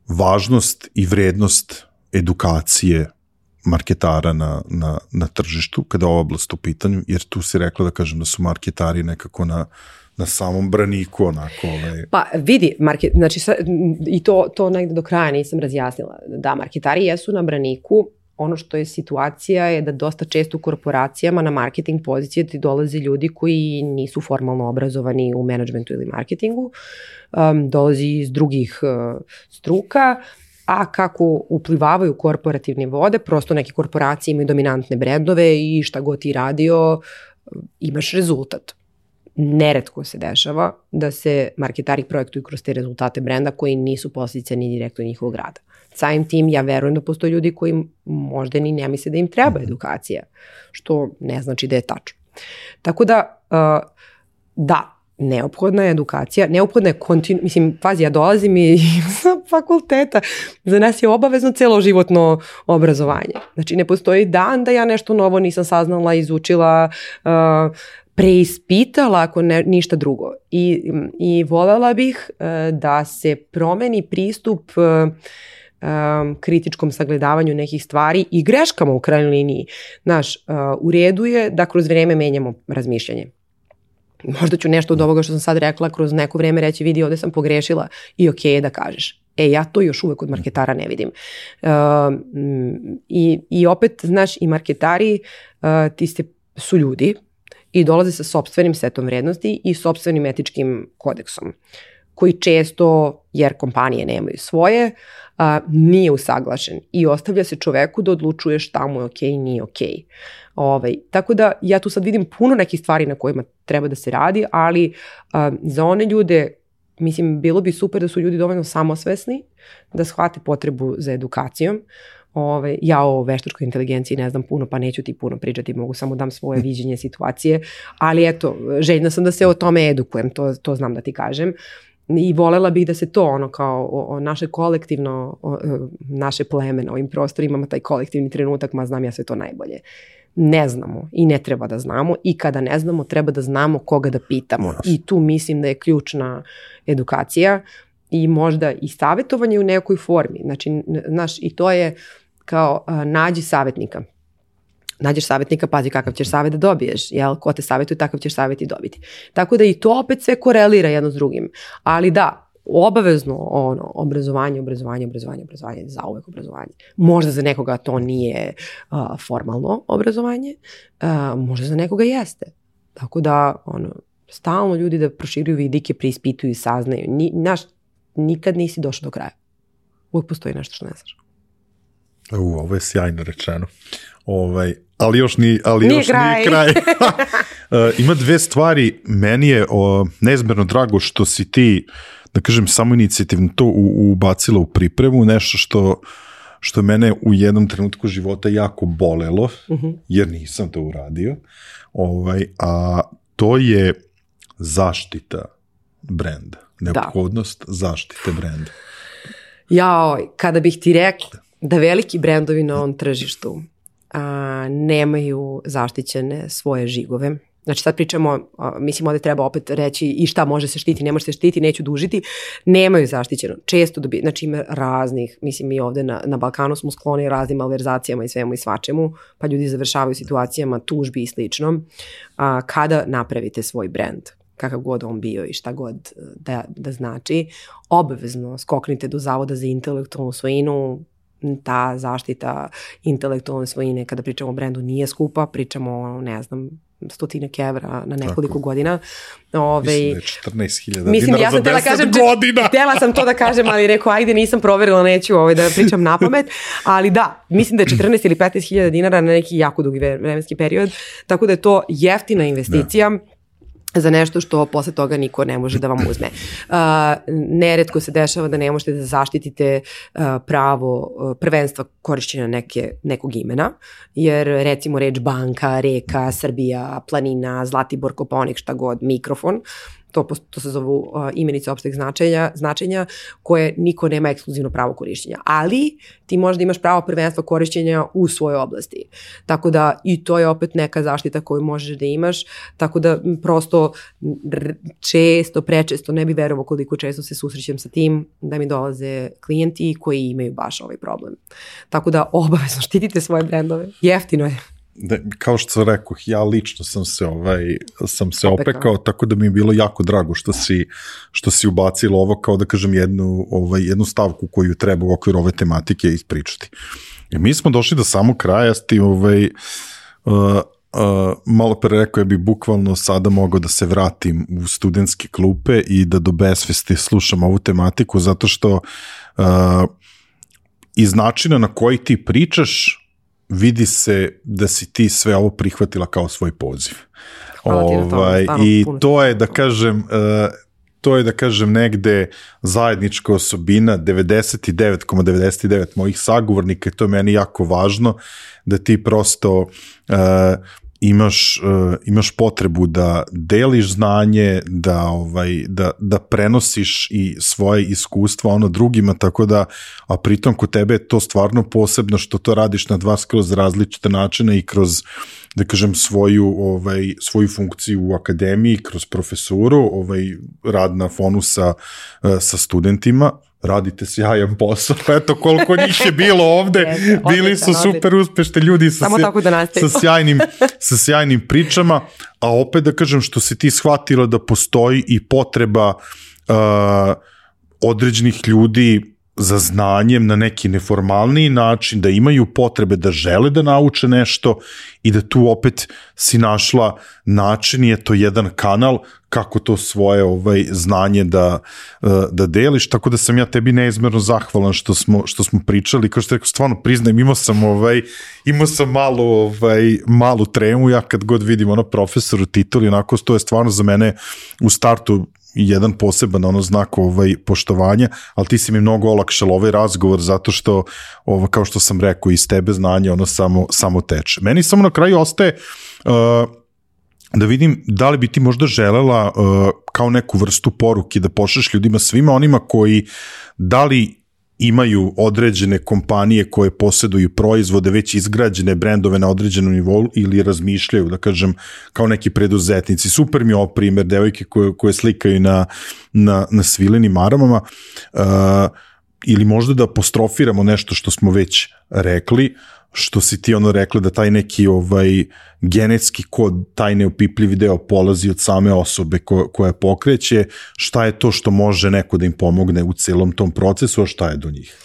važnost i vrednost edukacije marketara na tržištu, kada je oblast u pitanju, jer tu si rekla, da kažem, da su marketari nekako na samom braniku, onako. Pa vidi, znači, i to negde do kraja nisam razjasnila. Da, marketari jesu na braniku. Ono što je situacija je da dosta često u korporacijama na marketing pozicije ti dolaze ljudi koji nisu formalno obrazovani u menadžmentu ili marketingu, dolazi iz drugih struka, a kako uplivavaju korporativne vode, prosto neke korporacije imaju dominantne brendove i šta god ti radio, imaš rezultat. Neretko se dešava da se marketari projektuju kroz te rezultate brenda koji nisu posljedica ni direktno njihovog rada. Samim tim ja verujem da postoje ljudi koji možda ni ne misle da im treba edukacija, što ne znači da je tačno. Tako da, da, neophodna je edukacija, neophodna je mislim, pazi, ja dolazim i sa fakulteta, za nas je obavezno celoživotno obrazovanje. Znači, ne postoji dan da ja nešto novo nisam saznala, izučila, preispitala, ako ništa drugo. I voljela bih da se promeni pristup kritičkom sagledavanju nekih stvari i greškama u krajnjoj liniji. Znaš, u redu je da kroz vreme menjamo razmišljanje. Možda ću nešto od ovoga što sam sad rekla kroz neko vreme reći, vidi, ovdje sam pogrešila i ok je da kažeš. Ja to još uvek od marketara ne vidim. I opet, znaš, i marketari su ljudi i dolaze sa sopstvenim setom vrednosti i sopstvenim etičkim kodeksom, koji često, jer kompanije nemaju svoje, nije usaglašen i ostavlja se čoveku da odlučuje šta mu je okej i nije okej. Tako da ja tu sad vidim puno nekih stvari na kojima treba da se radi, ali za one ljude, mislim, bilo bi super da su ljudi dovoljno samosvesni, da shvate potrebu za edukacijom. Ja o veštačkoj inteligenciji ne znam puno, pa neću ti puno pričati, mogu samo dam svoje viđenje situacije, ali eto, željna sam da se o tome edukujem, to znam da ti kažem. I voljela bih da se to kao naše kolektivno, naše pleme na ovim prostorima ima taj kolektivni trenutak, ma znam ja sve to najbolje. Ne znamo i ne treba da znamo i kada ne znamo treba da znamo koga da pitamo. I tu mislim da je ključna edukacija i možda i savjetovanje u nekoj formi. Znači, znaš, i to je kao nađi savjetnika. Nađeš savjetnika, pazi kakav ćeš savjet da dobiješ, jel? Ko te savjetuje, takav ćeš savjet i dobiti. Tako da i to opet sve korelira jedno s drugim. Ali da, obavezno obrazovanje, zauvek obrazovanje. Možda za nekoga to nije formalno obrazovanje, možda za nekoga jeste. Tako da, stalno ljudi da proširuju vidike, preispituju i saznaju. Nikad nisi došao do kraja. Uvijek postoji nešto što ne znaš. Ovo je sjajno rečeno. Ali još nije kraj. Ima dve stvari. Meni je neizmjerno drago što si ti, da kažem, samoinicijativno to ubacila u pripremu, nešto što što je mene u jednom trenutku života jako bolelo, jer nisam to uradio, a to je zaštita brenda, neophodnost zaštite brenda. Kada bih ti rekla da veliki brendovi na ovom tržištu nemaju zaštićene svoje žigove. Znači sad pričamo, mislim ovdje treba opet reći i šta može se štiti, ne može se štiti, neću dužiti, nemaju zaštićeno. Često znači ima raznih, mislim mi ovdje na Balkanu smo skloni raznim malverzacijama i svemu i svačemu, pa ljudi završavaju situacijama tužbi i slično. Kada napravite svoj brend, kakav god on bio i šta god da znači, obavezno skoknite do Zavoda za intelektualnu svojinu. Ta zaštita intelektualne svojine, kada pričamo o brendu, nije skupa, pričamo o, ne znam, 100 evra na nekoliko godina. Mislim da je 14.000 dinara za 10 godina. Htjela sam to da kažem, ali rekao, ajde, nisam proverila, neću da pričam na pamet, ali da, mislim da je 14 ili 15.000 dinara na neki jako dugi vremenski period, tako da je to jeftina investicija za nešto što posle toga niko ne može da vam uzme. Neretko se dešava da ne možete da zaštitite pravo prvenstva korišćenja nekog imena, jer recimo reč banka, reka, Srbija, planina, Zlatibor, Kopaonik, šta god, mikrofon, to se zovu imenice opšteg značenja koje niko nema ekskluzivno pravo korišćenja. Ali ti možda imaš pravo prvenstva korišćenja u svojoj oblasti. Tako da i to je opet neka zaštita koju možeš da imaš. Tako da prosto prečesto, ne bi verovao koliko često se susrećem sa tim da mi dolaze klijenti koji imaju baš ovaj problem. Tako da obavezno štitite svoje brendove. Jeftino je. Kao što sam rekao, ja lično sam se opekao, tako da mi je bilo jako drago što si ubacilo ovo, kao da kažem jednu stavku koju treba u okviru ove tematike ispričati. I mi smo došli do samog kraja, malo pre rekao, ja bih bukvalno sada mogao da se vratim u studentske klupe i da do besvesti slušam ovu tematiku, zato što iz načina na koji ti pričaš vidi se da si ti sve ovo prihvatila kao svoj poziv. I to je da kažem negde zajednička osobina 99,99 mojih sagovornika, i to je meni jako važno, da ti prosto imaš potrebu da deliš znanje, da prenosiš i svoje iskustva drugima, tako da, a pritom kod tebe je to stvarno posebno što to radiš na dva skroz različite načine i kroz, da kažem, svoju funkciju u akademiji, kroz profesuru, rad na fonu sa studentima. Radite sjajan posao, eto koliko njih je bilo ovde, bili su super uspešni ljudi sa sjajnim pričama, a opet da kažem što si ti shvatila da postoji i potreba određenih ljudi za znanjem na neki neformalniji način, da imaju potrebe, da žele da nauče nešto i da tu opet si našla način, je to jedan kanal kako to svoje znanje da deliš, tako da sam ja tebi neizmerno zahvalan što smo pričali, kao što rekao, stvarno priznajem, imao sam malu tremu, ja kad god vidim profesoru tituli, onako, to je stvarno za mene u startu jedan poseban znak poštovanja, ali ti si mi mnogo olakšala ovaj razgovor zato što, kao što sam rekao, iz tebe znanje samo teče. Meni samo na kraju ostaje da vidim da li bi ti možda želela kao neku vrstu poruke da pošalješ ljudima, svima onima koji da li imaju određene kompanije koje posjeduju proizvode, već izgrađene brendove na određenom nivou ili razmišljaju, da kažem, kao neki preduzetnici. Super mi je ovo primjer, devojke koje slikaju na svilenim maramama, ili možda da apostrofiramo nešto što smo već rekli, što si ti rekla da taj neki genetski kod, taj neopipljivi deo polazi od same osobe koja pokreće, šta je to što može neko da im pomogne u celom tom procesu, a šta je do njih?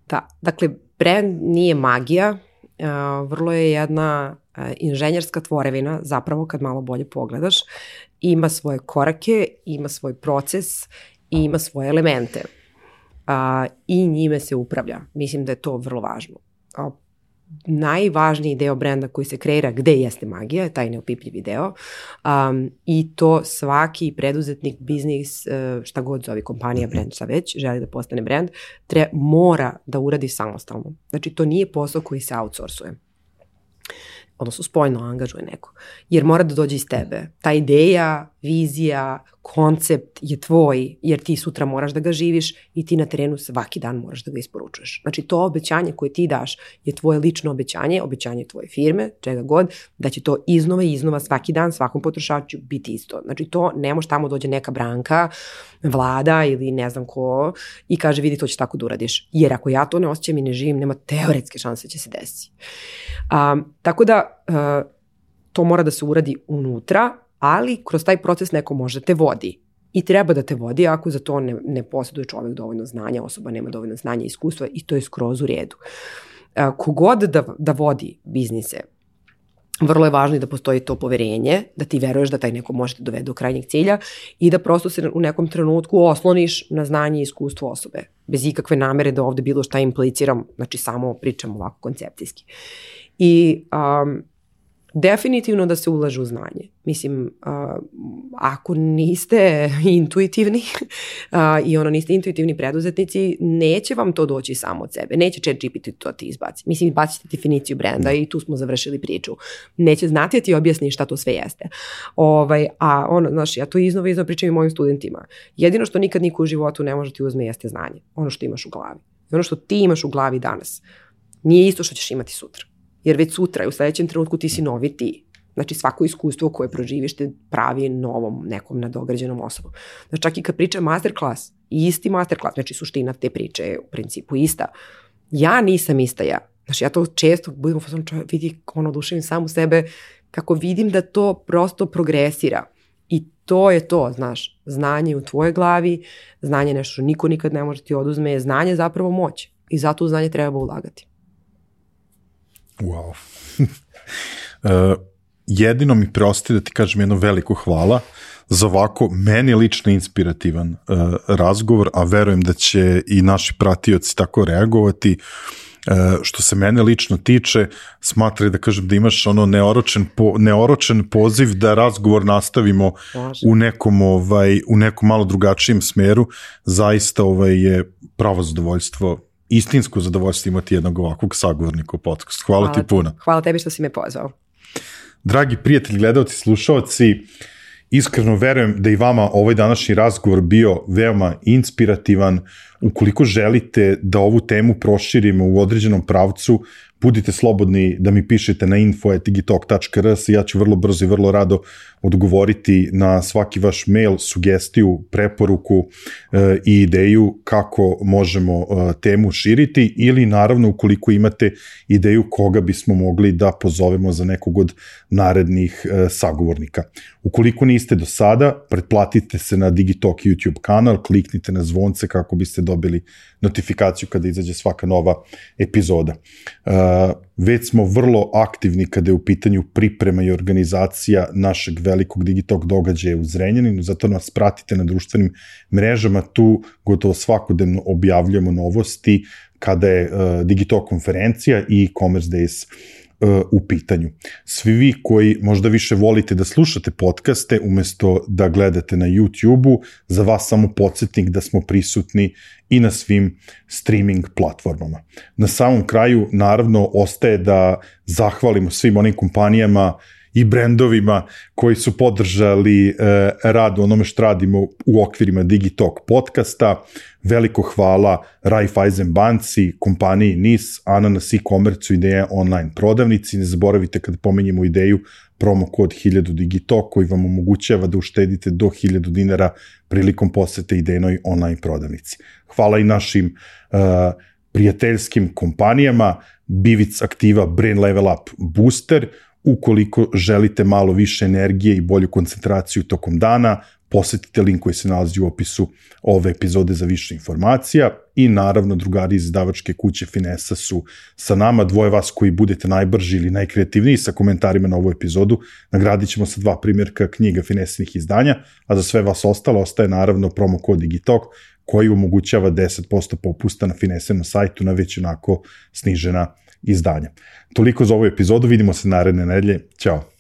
Da, dakle, brand nije magija, vrlo je jedna inženjerska tvorevina, zapravo kad malo bolje pogledaš, ima svoje korake, ima svoj proces i ima svoje elemente i njime se upravlja. Mislim da je to vrlo važno. najvažniji deo brenda koji se kreira gde jeste magija, taj neopipljivi deo, i to svaki preduzetnik, biznis, šta god zove kompanija, brend, šta već, želi da postane brend, mora da uradi samostalno. Znači to nije posao koji se outsourcuje, odnosno spoljno angažuje neko, jer mora da dođe iz tebe. Ta ideja, vizija, koncept je tvoj, jer ti sutra moraš da ga živiš i ti na terenu svaki dan moraš da ga isporučuješ. Znači to obećanje koje ti daš je tvoje lično obećanje, obećanje tvoje firme, čega god, da će to iznova i iznova svaki dan svakom potrošaču biti isto. Znači to ne može tamo dođe neka Branka, Vlada ili ne znam ko i kaže vidi to će tako da uradiš. Jer ako ja to ne osjećam i ne živim, nema teoretske šanse će se desiti. Tako da to mora da se uradi unutra, ali kroz taj proces neko može te vodi. I treba da te vodi ako za to ne posjeduje čovjek dovoljno znanja, osoba nema dovoljno znanja i iskustva i to je skroz u redu. Kogod da vodi biznise, vrlo je važno da postoji to poverenje, da ti veruješ da taj neko može te dovede do krajnjeg cilja i da prosto se u nekom trenutku osloniš na znanje i iskustvo osobe. Bez ikakve namere da ovde bilo šta impliciram, znači samo pričam ovako koncepcijski. I definitivno da se ulaže u znanje. Mislim, ako niste intuitivni i niste intuitivni preduzetnici, neće vam to doći samo od sebe. Neće ChatGPT to ti izbaci. Mislim, izbacite definiciju brenda i tu smo završili priču. Neće znati da ti objasni šta to sve jeste. Znaš, ja to iznova pričam i mojim studentima. Jedino što nikad niko u životu ne može ti uzme jeste znanje. Ono što imaš u glavi. I ono što ti imaš u glavi danas nije isto što ćeš imati sutra. Jer već sutra i u sledećem trenutku ti si novi ti. Znači svako iskustvo koje proživiš te pravi novom nekom nadograđenom osobom. Znači čak i kad pričam masterclass, isti masterclass, znači suština te priče je u principu ista. Ja nisam ista ja. Znači ja to često budem vidi oduševim sam u sebe kako vidim da to prosto progresira. I to je to, znaš, znanje u tvojoj glavi, znanje je nešto što niko nikad ne može ti oduzme, znanje je zapravo moć i zato u znanje treba ulagati. Wow. Jedino mi preostaje da ti kažem jedno veliko hvala za ovako meni lično inspirativan razgovor, a verujem da će i naši pratioci tako reagovati. Što se mene lično tiče, smatram da kažem da imaš neoročen poziv da razgovor nastavimo u nekom malo drugačijem smeru. Zaista je pravo zadovoljstvo, istinsko zadovoljstvo imati jednog ovakvog sagovornika u podcastu. Hvala ti puno. Hvala tebi što si me pozvao. Dragi prijatelji, gledalci, slušalci, iskreno verujem da i vama ovaj današnji razgovor bio veoma inspirativan. Ukoliko želite da ovu temu proširimo u određenom pravcu, budite slobodni da mi pišete na info@digitalk.rs i ja ću vrlo brzo i vrlo rado odgovoriti na svaki vaš mail, sugestiju, preporuku i ideju kako možemo temu širiti ili naravno ukoliko imate ideju koga bismo mogli da pozovemo za nekog od narednih sagovornika. Ukoliko niste do sada, pretplatite se na Digitalk YouTube kanal, kliknite na zvonce kako biste dobili notifikaciju kada izađe svaka nova epizoda. Već smo vrlo aktivni kada je u pitanju priprema i organizacija našeg velikog Digitalk događaja u Zrenjaninu, zato nas pratite na društvenim mrežama, tu gotovo svakodnevno objavljujemo novosti kada je Digitalk konferencija i e-commerce days u pitanju. Svi vi koji možda više volite da slušate podcaste umesto da gledate na YouTube-u, za vas samo podsjetnik da smo prisutni i na svim streaming platformama. Na samom kraju, naravno, ostaje da zahvalimo svim onim kompanijama i brendovima koji su podržali rad u onome što radimo u okvirima Digitalk podcasta. Veliko hvala Raiffeisen banci, kompaniji NIS, Ananas e-commerce, Ideja online prodavnici. Ne zaboravite kada pomenjemo ideju promo kod 1000 Digitalk koji vam omogućava da uštedite do 1000 dinara prilikom posete Idejnoj online prodavnici. Hvala i našim prijateljskim kompanijama Bivic Aktiva, Brain Level Up Booster. Ukoliko želite malo više energije i bolju koncentraciju tokom dana, posetite link koji se nalazi u opisu ove epizode za više informacija i naravno drugari iz izdavačke kuće Finesa su sa nama. Dvoje vas koji budete najbrži ili najkreativniji sa komentarima na ovu epizodu nagradit ćemo sa 2 primjerka knjiga Finesinih izdanja, a za sve vas ostalo ostaje naravno promo kod Digitalk koji omogućava 10% popusta na Finesenom sajtu na već onako snižena izdanja. Toliko za ovu epizodu, vidimo se naredne nedelje. Ćao!